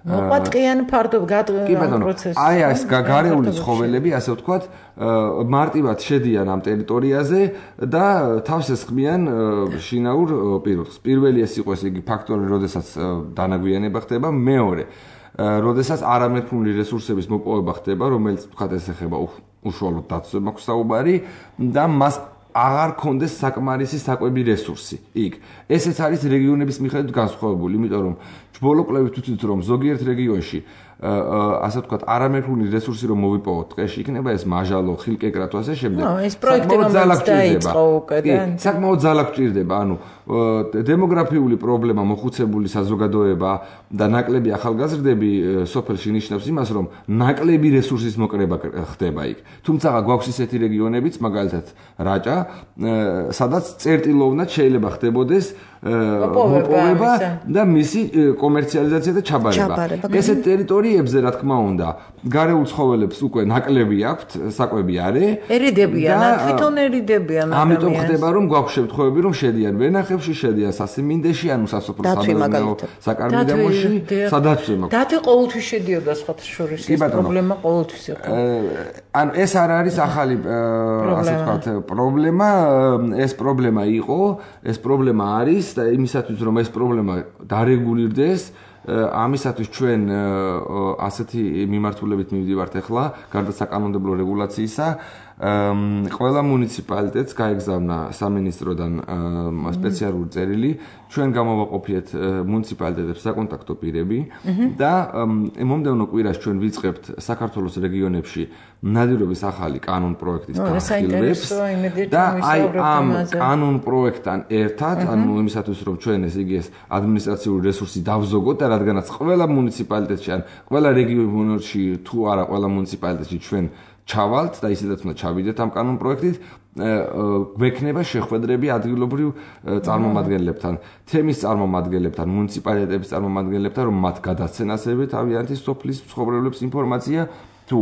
მოყვატყიან ფარდობ გადაღებულ პროცესში. აი ეს გარეული ცხოველები, ასე ვთქვათ, მარტივად შედიან ამ ტერიტორიაზე და თავს ესხმიან შინაურ პირობებს. პირველი ეს იყო, ესე იგი, ფაქტორი, როდესაც დანაგვიანება ხდება, მეორე, როდესაც არამეთქმული რესურსების მოპოვება ხდება, რომელიც ვთქვათ, ეს ეხება უშუალოდ დაცვებს მაქვს საუბარი და მას აღარ კონდეს საკმარისი საკვები რესურსი. იქ ესეც არის რეგიონების მიხედვით განსხვავებული, იმიტომ რომ ჯბოლო კვლევით ვთვლით, რომ ზოგიერთ რეგიონში ასე ვთქვათ, არამეთქმული რესურსი რომ მოვიპოვოთ ტყეში, იქნება ეს მაჟალო, ხილკეკრა თუ ასე შემდეგ. ნუ ეს პროექტი რომელიც დაიწყო უკვე და საკმაოდ ძალა გვჭირდება, ანუ დემოგრაფიული პრობლემა, მოხუცებული საზოგადოება და ნაკლები ახალგაზრდები სოფელში ნიშნავს იმას, რომ ნაკლები რესურსის მოკრება ხდება იქ. თუმცა გვაქვს ისეთი რეგიონებიც, მაგალითად რაჭა, სადაც წერტილოვნად შეიძლება ხდებოდეს მოპოვება და მისი კომერციალიზაცია და ჩაბარება. ესეთ ტერიტორიებზე, რა თქმა უნდა, გარეულ ცხოველებს უკვე ნაკლები აქვთ, საკვები არის. ერიდებიან, თვითონ ერიდებიან. ამიტომ ხდება, რომ გვაქვს შემთხვევები, რომ შედიან ვენახებში, შედიან სასიმინდეში, ანუ სასოფლო სამეურნეო საკარმიდამოში, სადაცვე მაქვს. დათვი ყოველთვის შედიოდა სხვათა შორის, ეს პრობლემა ყოველთვის იყო. ანუ ეს არ არის ახალი, ასე ვთქვათ, პრობლემა, ეს პრობლემა იყო, ეს პრობლემა არის და იმისათვის, რომ ეს პრობლემა დარეგულირდეს, ამისათვის ჩვენ ასეთი მიმართულებით მივდივართ ახლა, გარდა საკანონმდებლო რეგულაციისა, ყველა მუნიციპალიტეტს გაეგზავნა სამინისტროდან სპეციალური წერილი, ჩვენ გამოვაყოფიეთ მუნიციპალიტეტებს საკონტაქტო პირები და მომდევნო კვირას ჩვენ ვიწყებთ საქართველოს რეგიონებში ნადირობის ახალი კანონ პროექტის განხილვებს და აი ამ კანონ პროექტთან ერთად, ანუ იმისათვის რომ ჩვენ ეს იგი ეს ადმინისტრაციული რესურსი დავზოგოთ და რადგანაც ყველა მუნიციპალიტეტში ან ყველა რეგიონში თუ არა ყველა მუნიციპალიტეტში ჩვენ ჩავალთ და ისედაც უნდა ჩავიდეთ ამ კანონ პროექტით, გვექნება შეხვედრები ადგილობრივ წარმომადგენლებთან, თემის წარმომადგენლებთან, მუნიციპალიტეტების წარმომადგენლებთან, რომ მათ გადასცენ ასევე თავიანთი სოფლის მცხოვრებლებს ინფორმაცია თუ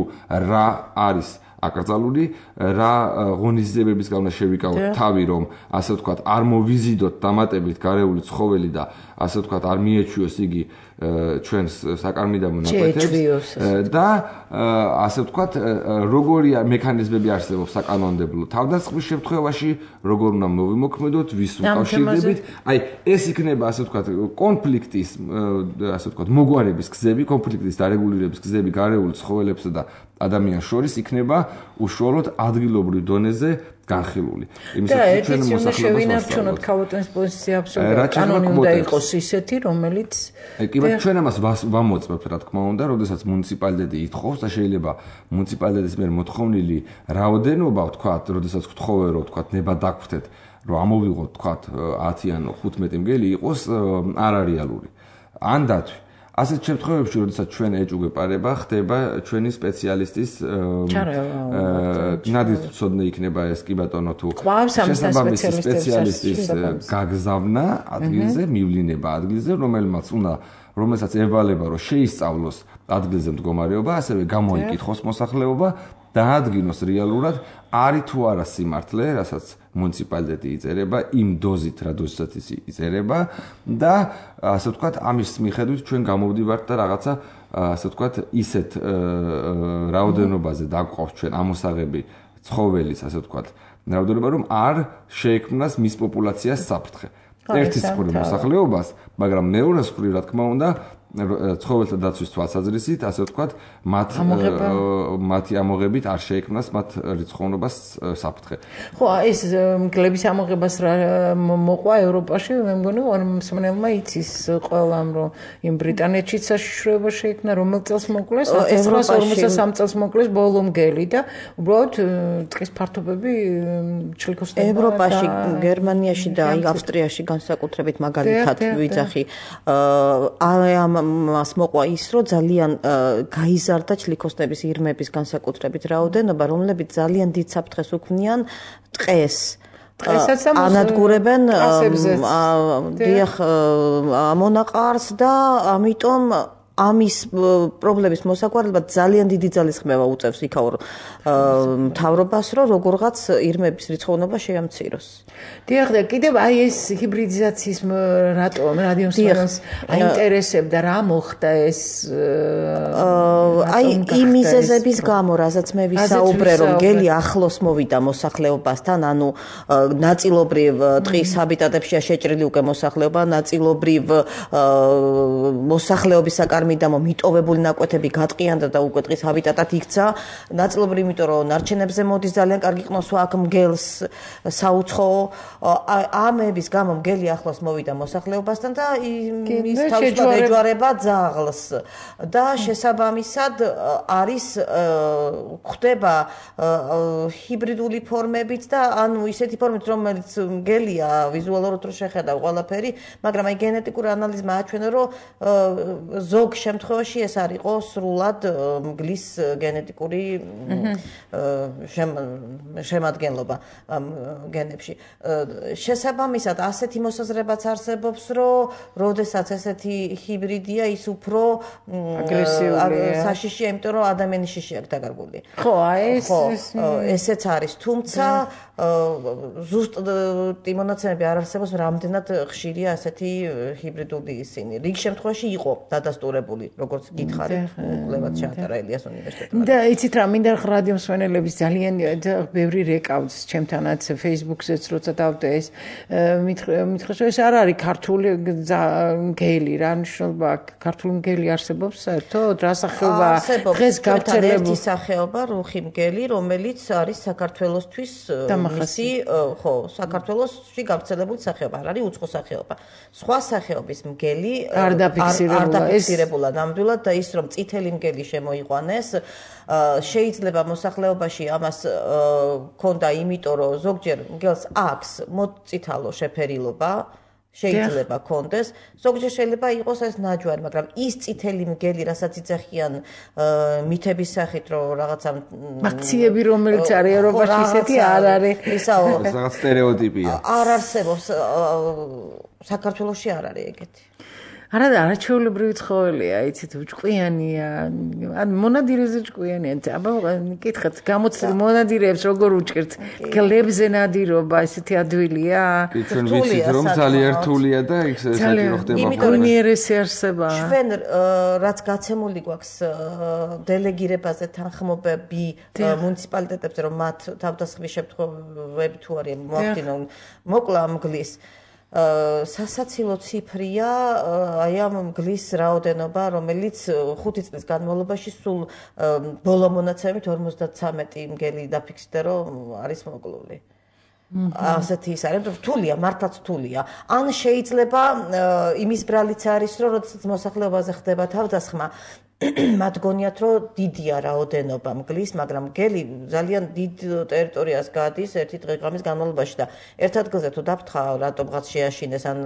რა არის აკრძალული, რა ღონისძიებებისგან უნდა შევიკავოთ თავი, რომ ასე ვთქვათ, არ მოვიზიდოთ დამატებით გარეული ცხოველი და ასე ვთქვათ, არ მიეჩვიოს იგი ჩვენს საკარმიდამო ნაკვეთებს და ასე ვთქვათ, როგორი მექანიზმები არსებობს საკანონმდებლო თავდასხმის შემთხვევაში, როგორ უნდა მოვიმოქმედოთ, ვის უკავშირდებით. აი, ეს იქნება ასე ვთქვათ, კონფლიქტის, ასე ვთქვათ, მოგვარების გზები, კონფლიქტის დარეგულირების გზები გარეული ცხოველებსა და ადამიანს შორის იქნება უშუალოდ ადგილობრივ დონეზე განხილული. იმისათვის ჩვენ მოსახლეობას შევინარჩუნოთ ქალბატონის პოზიცია აბსოლუტურად კანონი უნდა იყოს ისეთი, რომელიც კი ბატონო, ჩვენ ამას ვამოწმებთ, რა თქმა უნდა, როდესაც მუნიციპალიტეტი ითხოვს და შეიძლება მუნიციპალიტეტის მიერ მოთხოვნილი რაოდენობა, ვთქვათ, როდესაც გთხოვე, რომ ვთქვათ, ნება დაგხვდეთ, რომ ამოვიღოთ, ვთქვათ, ათი ან ხუთმეტი მგელი იყოს არარეალური. ან დათვი. ასეთ შემთხვევებში, როდესაც ჩვენ ეჭუგეპარება, ხდება ჩვენი სპეციალისტის ნადირწოდნე იქნება ეს კი ბატონო თუ შესაბამისი სპეციალისტის გაგზავნა ადგილზე, მივლინება ადგილზე, რომელმაც უნდა რომელსაც ევალება, რომ შეისწავლოს ადგილზე მდგომარეობა, ასევე გამოიკითხოს მოსახლეობა დაადგინოს რეალურად არის თუ არა სიმართლე, რასაც მუნიციპალიტეტი იწერება იმ დოზით, რა დოზითაც ის იწერება და ასე ვთქვათ, ამის მიხედვით ჩვენ გამოვდივართ და რაღაცა ასე ვთქვათ, ისეთ რაოდენობაზე დაგვყავს ჩვენ ამოსაღები ცხოველის, ასე ვთქვათ, რაოდენობა, რომ არ შეექმნას მის პოპულაციას საფრთხე. ერთის მხრივ მოსახლეობას, მაგრამ მეორეს მხრივ, რა თქმა უნდა, ცხოველთა დაცვის თვალსაზრისით, ასე ვთქვათ, მათ მათი ამოღებით არ შეექმნას მათ რიცხოვნობას საფრთხე. ხო, ეს მგლების ამოღებას რა მოყვა ევროპაში, მე მგონი, მსმენელმა იცის ყველამ, რომ იმ ბრიტანეთშიც საშიშროება შეექმნა, რომელ წელს მოკლეს, ათას ცხრაასი ორმოცდასამი წელს მოკლეს ბოლო მგელი და უბრალოდ ტყის ფართობები ჩლიქოსნებდა. ევროპაში, გერმანიაში და ავსტრიაში განსაკუთრებით მაგალითად ვიძახი, ამ მას მოყვა ის, რომ ძალიან გაიზარდა ჩლიქოსნების ირმების განსაკუთრებით რაოდენობა, რომლებიც ძალიან დიდ საფრთხეს უქმნიან ტყეს. ანადგურებენ დიახ ამონაყარს და ამიტომ ამის პრობლემის მოსაგვარებლად ძალიან დიდი ძალისხმევა უწევს იქაურ მთავრობას, რომ როგორღაც ირმების რიცხოვნობა შეამციროს. დიახ, და კიდევ აი ეს ჰიბრიდიზაციის რატომ რადიომსმენელს აინტერესებდა, რა მოხდა ეს აი იმ მიზეზების გამო, რასაც მე ვისაუბრე, რომ გელი ახლოს მოვიდა მოსახლეობასთან, ანუ ნაწილობრივ ტყის ჰაბიტატებშია შეჭრილი უკვე მოსახლეობა, ნაწილობრივ მოსახლეობის საკარმიდამო მიტოვებული ნაკვეთები გატყიანდა და უკვე ტყის ჰაბიტატად იქცა, ნაწილობრივ იმიტომ რომ ნარჩენებზე მოდის ძალიან კარგი ყნოსვა აქ მგელს საუცხოო, ამების გამო მგელი ახლოს მოვიდა მოსახლეობასთან და ის თავისუფლად ეჯვარება ძაღლს და შესაბამისად არის ხდება ჰიბრიდული ფორმებით და ანუ ისეთი ფორმით, რომელიც მგელია ვიზუალურად რო შეხედავ ყველაფერი, მაგრამ აი გენეტიკური ანალიზმა აჩვენა, რომ ზოგ შემთხვევაში ეს არ იყო სრულად მგლის გენეტიკური შემადგენლობა გენებში. შესაბამისად, ასეთი მოსაზრებაც არსებობს, რომ როდესაც ესეთი ჰიბრიდია, ის უფრო აგრესიულია, საშიშია, იმიტომ რომ ადამიანის შიში აქვს დაკარგული. ხო, აი ეს ესეც არის, თუმცა ზუსტ იმონაცემები არ არსებობს, რამდენად ხშირია ასეთი ჰიბრიდული ისინი. რიგ შემთხვევაში იყო დადასტურებული, როგორც გითხარით, კვლევაც შეატარა ელიას უნივერსიტეტმა. და იცით რა, მინდა რადიომსმენელების ძალიან ბევრი რეკავს ჩემთანაც Facebook-ზეც როცა დავდე ეს მითხრეს, ეს არ არის ქართული მგელი, რა ნიშნობა ქართული მგელი არსებობს საერთოდ, რა სახეობა დღეს გავრცელებული ერთი სახეობა რუხი მგელი, რომელიც არის საქართველოსთვის მისი, ხო, საქართველოსში გავრცელებული სახეობა, არ არის უცხო სახეობა. სხვა სახეობის მგელი არ დაფიქსირებულა ნამდვილად და ის რომ წითელი მგელი შემოიყვანეს, შეიძლება მოსახლეობაში ამას ქონდა, იმიტომ რომ ზოგჯერ მგელს აქვს მოწითალო შეფერილობა, შეიძლება კონდეს, ზოგჯერ შეიძლება იყოს ეს ნაჯვარი, მაგრამ ის წითელი მგელი, რასაც იცახიან მითების სახით, რომ რაღაცა აქციები, რომელიც არის ევროპაში, ისეთი არ არის. ისაო, რაღაც სტერეოტიპია. არ არსებობს, საქართველოში არ არის ეგეთი. არა და არაჩვეულებრივი ცხოველია, იცით, ჭკვიანია, ან მონადირეზე ჭკვიანია. აბა მკითხეთ, გამოცდილ მონადირეებს როგორ უჭერთ? გლებზე ნადირობა, ესეთი ადვილია? ჩვენ ვიცით, რომ ძალიან რთულია და იქ საჭირო ხდება. უნიერესი არსება. ჩვენ რაც გაცემული გვაქვს დელეგირებაზე თანხმობები მუნიციპალიტეტებზე, რომ მათ თავდასხმის შემთხვევები თუ არის მოახდინონ მოკლა მგლის სასაცილო ციფრია აი ამ მგლის რაოდენობა, რომელიც ხუთი წლის განმავლობაში სულ ბოლო მონაცემით ორმოცდათრამეტი მგელი დაფიქსირდა, რომ არის მოკლული. ასეთი ის არის, რთულია, მართლაც რთულია. ან შეიძლება იმის ბრალიც არის, რომ როდესაც მოსახლეობაზე ხდება თავდასხმა, მათ გონიათ, რომ დიდია რაოდენობა მგლის, მაგრამ მგელი ძალიან დიდ ტერიტორიას გადის ერთი დღე-ღამის განმავლობაში და ერთ ადგილზე თუ დაფრთხა, რატომღაც შეაშინეს, ან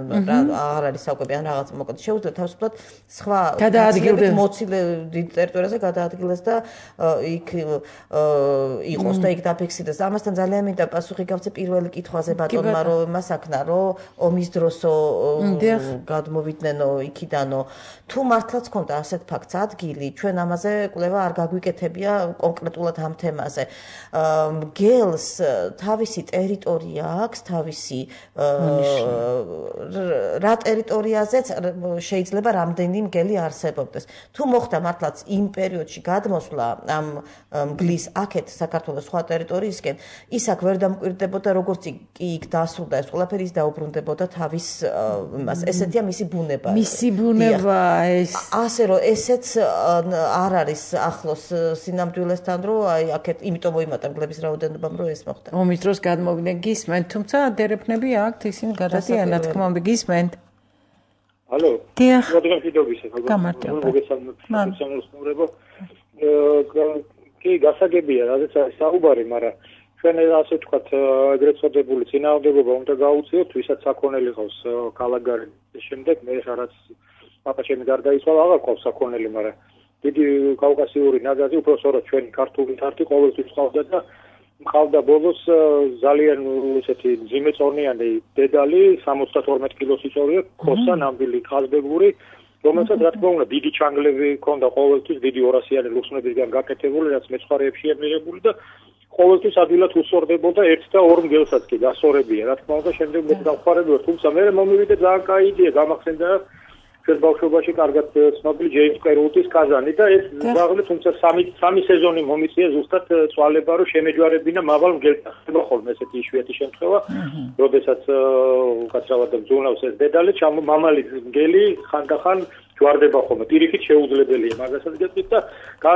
აღარ არის საკვები, ან რაღაც მოკლედ შეუძლია თავისუფლად სხვა გადაადგილდეს მოცილე დიდ ტერიტორიაზე გადაადგილდეს და იქ იყოს და იქ დაფიქსირდეს. ამასთან ძალიან მინდა პასუხი გავცე პირველი კითხვაზე ბატონმა, რომ მასაკნა, რომ ომის დროსო გადმოვიდნენ იქიდანო. თუ მართლაც ქონდა ასეთ ფაქტს ადგილი, ჩვენ ამაზე კვლევა არ გაგვიკეთებია კონკრეტულად ამ თემაზე. მგელს თავისი ტერიტორია აქვს, თავისი რა ტერიტორიაზეც შეიძლება რამდენი მგელი არსებობდეს. თუ მოხდა მართლაც იმ პერიოდში გადმოსვლა ამ მგლის აქეთ საქართველოს სხვა ტერიტორიისკენ, ის აქ ვერ დამკვირდებოდა, როგორც კი იქ დასრულდა ეს ყველაფერი, ის დაუბრუნდებოდა თავის იმას. ესეთია მისი ბუნება. მისი ბუნება ეს. ასე რომ ესეც არ არის ახლოს სინამდვილესთან, რომ აი აქეთ იმიტომ მოიმატა მგლების რაოდენობამ, რომ ეს მოხდა. ომის დროს გადმოვიდნენ გისმენთ, თუმცა დერეფნები აქვთ, ისინი გადადიან, რა თქმა უნდა, გისმენთ. ალო. დიახ. მოგესალმებით. გამარჯობა. კი, გასაგებია, რადგან არის საუბარი, მაგრამ ჩვენ ასე ვთქვათ, ეგრეთ წოდებული წინააღმდეგობა უნდა გაუწიოთ, ვისაც საქონელი ყავს ქალაქგარეთ. შემდეგ მე რაც პაპა ჩემი გარდაიცვალა, აღარ ყავს საქონელი, მაგრამ დიდი კავკასიური ნაგაზი უფრო სწორად ჩვენი ქართული თარტი ყოველთვის ყავდა და მყავდა ბოლოს ძალიან ესეთი ძიმეწონიანი დედალი, სამოცდათორმეტ კილოს იწოვია, ხოსა ნამდვილი ყაზბეგური, რომელსაც რა თქმა უნდა დიდი ჩანგლები ჰქონდა ყოველთვის, დიდი ორასიანი ლუქსმებისგან გაკეთებული, რაც მეცხვარეებშია მიღებული და ყოველთვის ადვილად უსწორდებოდა ერთ და ორ მგელსაც კი გასწორებია, რა თქმა უნდა, შემდეგ მე დავხარები ვარ, თუმცა მე მომივიდე ძალიან კაი იდეა გამახსენდა ჩვენ ბავშვობაში კარგად ცნობილი ჯეიმს კერუტის კაზანი და ეს ზაღლი თუმცა სამი სამი სეზონი მომიწია ზუსტად წვალება რომ შემეჯვარებინა მავალ მგელს ხდება ხოლმე ესეთი იშვიათი შემთხვევა როდესაც უკაცრავად ძუნავს ეს დედალი ჩამო მამალი მგელი ხანდახან ჯვარდება ხოლმე პირიქით შეუძლებელია მაგასაც გეტყვით და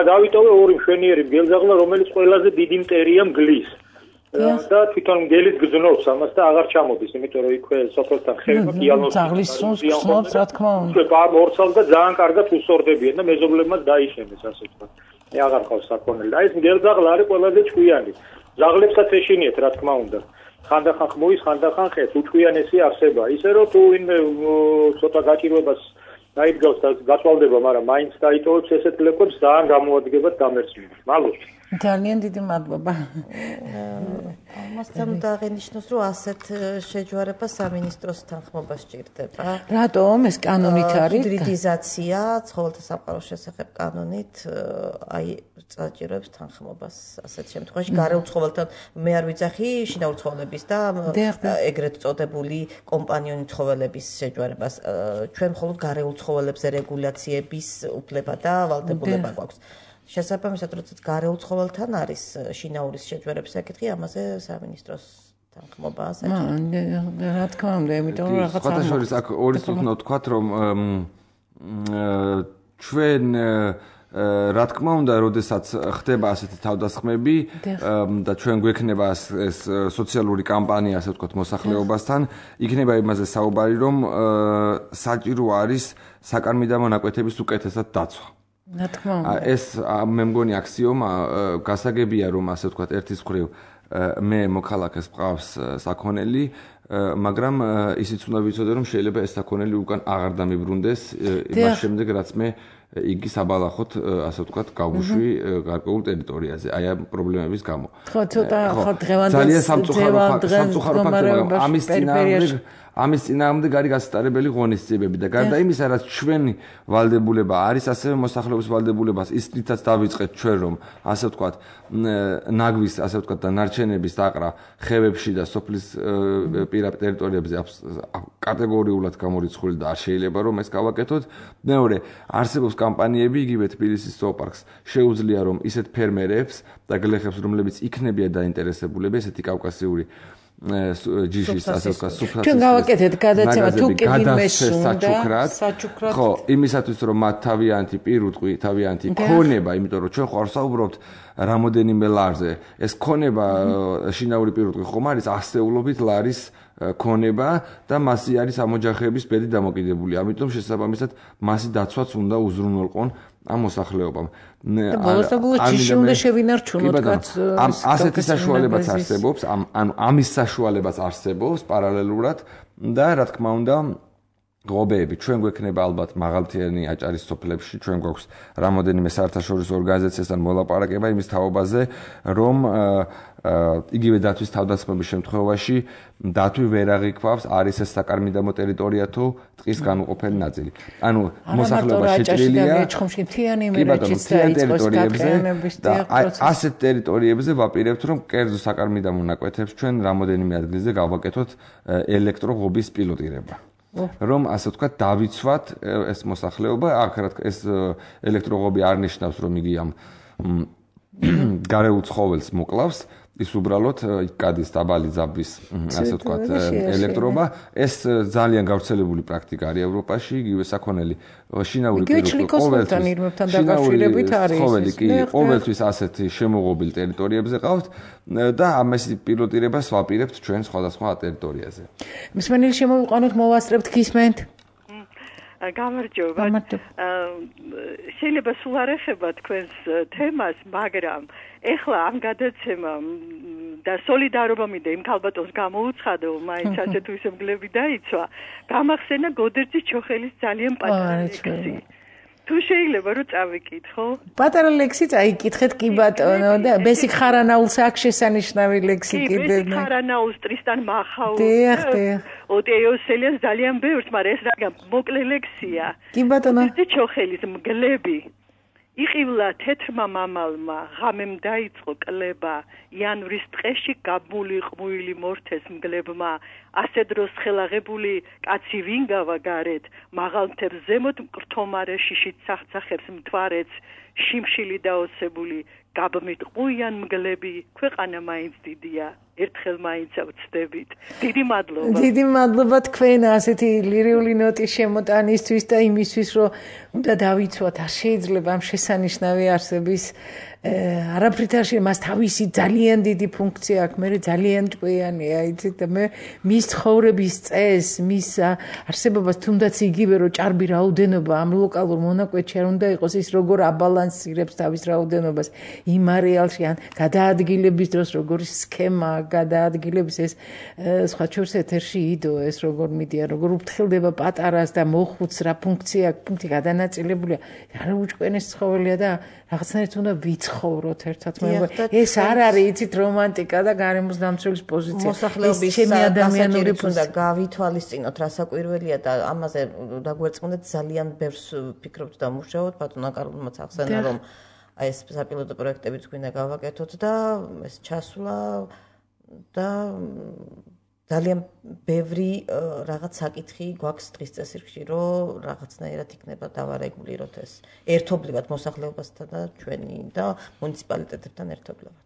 დავიტოვე ორი მშვენიერი მგელზაღლა რომელიც ყველაზე დიდი მტერია მგლის და თვითონ მგელიც გძნობს ამას და აღარ ჩამოდის, იმიტომ რომ იქვე სოფელთან ხელმა დიალოგი ძაღლის სუნს გძნობს, რა თქმა უნდა. ორცალ და ძალიან კარგად უსწორდებიან და მეზობლებმაც დაიშენეს, ასე ვთქვათ. მე აღარ ყავს საქონელი. და ეს მგელზაღლა არის ყველაზე ჭკვიანი. ზაღლებსაც ეშინიეთ, რა თქმა უნდა. ხანდახან ხმუის, ხანდახან ხეს, უჭკვიანესი არსება. ისე რომ თუ ვინმე ცოტა გაჭირვებას დაიდგავს და გაწვალდება, მაგრამ მაინც დაიტოვებს ესეთ ლეკვებს, ძალიან გამოადგებათ გამერცვლებით. მადლობა. ძალიან დიდი მადლობა. ამასთან უნდა აღინიშნოს, რომ ასეთ შეჯვარება სამინისტროს თანხმობა სჭირდება. რატომ ეს კანონით არის? ჰიბრიდიზაცია, ცხოველთა სამყაროს შესახებ კანონით, აი საჭიროებს თანხმობას ასეთ შემთხვევაში. გარეულ ცხოველთან მე არ ვიცახი შინაური ცხოველების და ეგრეთ წოდებული კომპანიონი ცხოველების შეჯვარებას. ჩვენ მხოლოდ გარეულ ცხოველებზე რეგულაციების უფლება და ვალდებულება გვაქვს. შესაბამისად, როდესაც გარეულ ცხოველთან არის შინაურის შეჯვარების საკითხი, ამაზე სამინისტროს თანხმობაა საჭირო. რა თქმა უნდა, იმიტომ რომ რაღაცა სხვა შორის აქ ორი სწორად ვთქვათ, რომ ჩვენ რა თქმა უნდა, როდესაც ხდება ასეთი თავდასხმები და ჩვენ გვექნება ეს სოციალური კამპანია, ასე ვთქვათ, მოსახლეობასთან, იქნება იმაზე საუბარი, რომ საჭირო არის საკარმიდამო მონაკვეთების უკეთესად დაცვა. რა თქმა უნდა. ეს მე მგონი აქსიომა გასაგებია, რომ ასე ვთქვათ, ერთის მხრივ მე მოქალაქეს მყავს საქონელი, მაგრამ ისიც უნდა ვიცოდე, რომ შეიძლება ეს საქონელი უკან აღარ დამიბრუნდეს იმას შემდეგ, რაც მე იგი საბალახოთ, ასე ვთქვათ, გავუშვი გარკვეულ ტერიტორიაზე, აი ამ პრობლემების გამო. ხო, ცოტა ხო დღევანდელ ძალიან სამწუხარო ფაქტია, მაგრამ ამის წინააღმდეგ ამის წინააღმდეგ არის გასტარებელი ღონისძიებები და გარდა იმისა, რაც ჩვენი ვალდებულება არის, ასევე მოსახლეობის ვალდებულებას ისრითაც დავიწყეთ ჩვენ, რომ ასე ვთქვათ, ნაგვის, ასე ვთქვათ, და ნარჩენების დაყრა ხევებში და სოფლის პირა ტერიტორიებზე კატეგორიულად გამორიცხული და არ შეიძლება რომ ეს გავაკეთოთ. მეორე, არსებობს კამპანიები, იგივე თბილისის ზოოპარკს შეუძლია რომ ისეთ ფერმერებს და გლეხებს, რომლებიც იქნებიან დაინტერესებულები, ესეთი კავკასიური ჯიშის ასე ვთქვათ, სუფრაცის. ჩვენ გავაკეთეთ გადაცემა თუ კი ვინმე სუნდა საჩუქრად. ხო, იმისათვის რომ მათ თავიანთი პირუტყვი, თავიანთი ქონება, იმიტომ რომ ჩვენ ხარ საუბრობთ რამოდენიმე ლარზე. ეს ქონება შინაური პირუტყვი ხომ არის ასეულობით ლარის ქონება და მასი არის ამოჯახების ბედი დამოკიდებული. ამიტომ შესაბამისად მასი დაცვაც უნდა უზრუნველყონ ამ მოსახლეობამ. და ბოლოს და ბოლოს ჯიში უნდა შევინარჩუნოთ კაც ასეთი საშუალებაც არსებობს, ანუ ამის საშუალებაც არსებობს პარალელურად და რა თქმა უნდა ღობეები ჩვენ გვექნება ალბათ მაღალმთიანი აჭარის სოფლებში ჩვენ გვაქვს რამოდენიმე საერთაშორისო ორგანიზაციასთან მოლაპარაკება იმის თაობაზე რომ იგივე დათვის თავდასხმების შემთხვევაში დათვი ვერ აღიქვავს არის ეს საკარმიდამო ტერიტორია თუ ტყის განუყოფელი ნაწილი. ანუ მოსახლეობა შეჭრილია ტერიტორიებზე და ასეთ ტერიტორიებზე ვაპირებთ რომ კერძო საკარმიდამო ნაკვეთებს ჩვენ რამოდენიმე ადგილზე გავაკეთოთ ელექტროღობის პილოტირება. რომ ასე ვთქვათ დავიცვათ ეს მოსახლეობა, აქ რა თქმა ეს ელექტროღობი არ ნიშნავს რომ იგი ამ გარეულ ცხოველს მოკლავს, ის უბრალოდ კადის დაბალი ძაბვის ასე ვთქვათ ელექტროობა, ეს ძალიან გავრცელებული პრაქტიკა არის ევროპაში, იგივე საქონელი შინაური პირობებთან დაკავშირებით არის. ცხოველი კი ყოველთვის ასეთი შემოღობილ ტერიტორიებზე ყავთ და ამას პილოტირებას ვაპირებთ ჩვენ სხვადასხვა ტერიტორიაზე. მსმენელი შემოვიყვანოთ, მოვასწრებთ გისმენთ. გამარჯობა. შეიძლება სულ არ ეხება თქვენს თემას, მაგრამ ეხლა ამ გადაცემამ და სოლიდარობა მინდა იმ ქალბატონს გამოუცხადო, მაინც ასე თუ ისე მგლები დაიცვა. გამახსენა გოდერძის ჩოხელის ძალიან პატარა ლექსი. თუ შეიძლება რომ წავიკითხო? პატარა ლექსი წაიკითხეთ კი ბატონო და ბესიკ ხარანაულს აქ შესანიშნავი ლექსი კიდე. ბესიკ ხარანაულს ტრისტან მახაულს. დიახ, დიახ. ოტეოსელიას ძალიან ბევრს, მაგრამ ეს რა მოკლე ლექსია. კი ბატონო. გოდერძის ჩოხელის მგლები იყივლა თეთრმა მამალმა, ღამემ დაიწყო კლება, იანვრის ტყეში გაბმული ყმუილი მორთეს მგლებმა, ასე დროს ხელაღებული კაცი ვინგავა გარეთ, მაღალ მთებს ზემოთ მკრთომარე შიშით სახცახებს მთვარეც, შიმშილი დაოსებული, გაბმით ყუიან მგლები, ქვეყანა მაინც დიდია. ერთხელ მაინც ავწდებით. დიდი მადლობა. დიდი მადლობა თქვენ ასეთი ლირიული ნოტის შემოტანისთვის და იმისთვის, რომ უნდა დავიცვათ, არ შეიძლება ამ შესანიშნავი არსების არაფრით არ შეიძლება, მას თავისი ძალიან დიდი ფუნქცია აქვს, მე ძალიან ჭკვიანია, იცით და მე მის ცხოვრების წესს, მის არსებობას თუნდაც იგივე რომ ჭარბი რაოდენობა ამ ლოკალურ მონაკვეთში არ უნდა იყოს, ის როგორ აბალანსირებს თავის რაოდენობას იმ არეალში, ან გადაადგილების დროს როგორი სქემა გადაადგილების ეს სხვა შორს ეთერში იდო ეს როგორ მიდია, როგორ უფრთხილდება პატარას და მოხუც რა ფუნქცია აქვს, ფუნქცია გადანაწილებულია, არა უჭკვენეს ცხოველია და რაღაცნაირად უნდა ვიცხოვროთ ერთად. ეს არ არის იცით რომანტიკა და გარემოს დამცველის პოზიცია. მოსახლეობის ადამიანური უნდა გავითვალისწინოთ რა საკვირველია და ამაზე დაგვერწყმოთ ძალიან ბევრს ფიქრობთ და მუშაობთ. ბატონო კარლმაც ახსენა რომ აი ეს საპილოტო პროექტებიც გვინდა გავაკეთოთ და ეს ჩასვლა და ძალიან ბევრი რაღაც საკითხი გვაქვს დღის წესრიგში, რომ რაღაცნაირად იქნება დავარეგულიროთ ეს ერთობლივად მოსახლეობასთან და ჩვენი და მუნიციპალიტეტებთან ერთობლივად.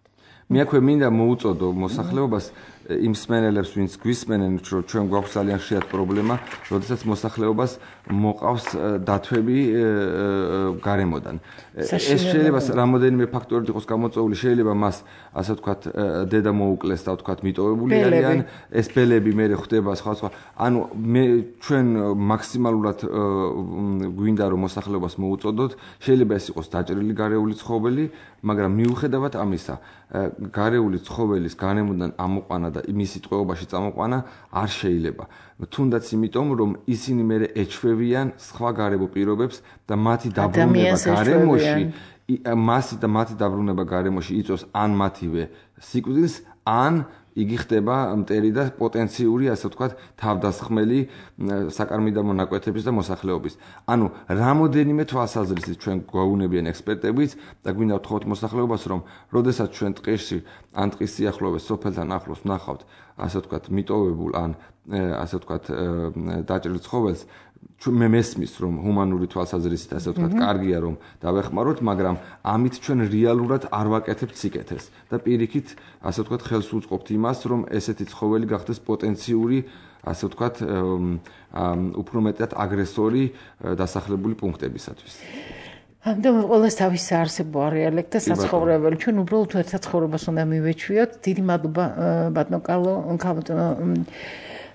მე აქვე მინდა მოუწოდო მოსახლეობას იმ მსმენელებს, ვინც გვისმენენ, რომ ჩვენ გვაქვს ძალიან ხშირად პრობლემა, როდესაც მოსახლეობას მოყავს დათვები გარემოდან. ეს შეიძლება რამოდენიმე ფაქტორით იყოს გამოწვეული, შეიძლება მას ასე ვთქვათ დედა მოუკლეს და ვთქვათ მიტოვებული არიან, ეს ბელები მე ხდება სხვა სხვა. ანუ მე ჩვენ მაქსიმალურად გვინდა რომ მოსახლეობას მოუწოდოთ, შეიძლება ეს იყოს დაჭრილი გარეული ცხოველი, მაგრამ მიუხედავად ამისა, გარეული ცხოველის გარემოდან ამოყვანა და მისი ტყვეობაში წამოყვანა არ შეიძლება. თუნდაც იმიტომ, რომ ისინი მე ეჩვევიან სხვა გარემო პირობებს და მათი დაბრუნება გარემოში, მასი და მათი დაბრუნება გარემოში იწვევს ან მათივე სიკვდილს, ან იგი ხდება მტერი და პოტენციური, ასე ვთქვათ, თავდასხმელი საკარმიდამო ნაკვეთების და მოსახლეობის. ანუ რამოდენიმე თვალსაზრისით ჩვენ გვაუნებიან ექსპერტებიც და გვინდა ვთხოვთ მოსახლეობას, რომ როდესაც ჩვენ ტყეში ან ტყის სიახლოვეს სოფელთან ახლოს ვნახავთ, ასე ვთქვათ, მიტოვებულ ან ასე ვთქვათ, დაჭრილ ცხოველს, მე მესმის რომ ჰუმანური თვალსაზრისით ასე ვთქვათ, კარგია რომ დავეხმაროთ, მაგრამ ამით ჩვენ რეალურად არ ვაკეთებთ სიკეთეს და პირიქით ასე ვთქვათ, ხელს უწყობთ იმას, რომ ესეთი ცხოველი გახდეს პოტენციური, ასე ვთქვათ, უფრო მეტად აგრესორი დასახლებული პუნქტებისათვის. ამდენ ყველას თავის საარსებო არეალები და საცხოვრებელი. ჩვენ უბრალოდ ერთად ცხოვრებას უნდა მივეჩვიოთ. დიდი მადლობა ბატონო კარლო,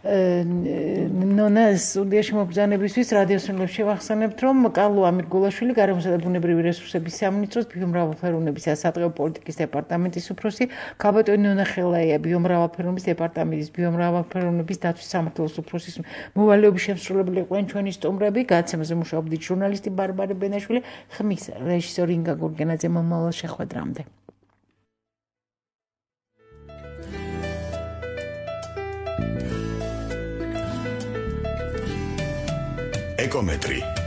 ნონა სტუდიაში მობრძანებისთვის რადიოსმენელებს შევახსენებთ, რომ კალო ამირგულაშვილი გარემოსა და ბუნებრივი რესურსების სამინისტროს ბიომრავალფეროვნების და სატყეო პოლიტიკის დეპარტამენტის უფროსი, ქაბატონი ნონა ხელაია ბიომრავალფეროვნების დეპარტამენტის ბიომრავალფეროვნების დაცვის სამმართველოს უფროსის მოვალეობის შემსრულებელი იყვნენ ჩვენი სტუმრები, გადაცემაზე მუშაობდით ჟურნალისტი ბარბარე ბენაშვილი, ხმის რეჟისორი ინგა გურგენაძე. მომავალ შეხვედრამდე. ეკომეტრი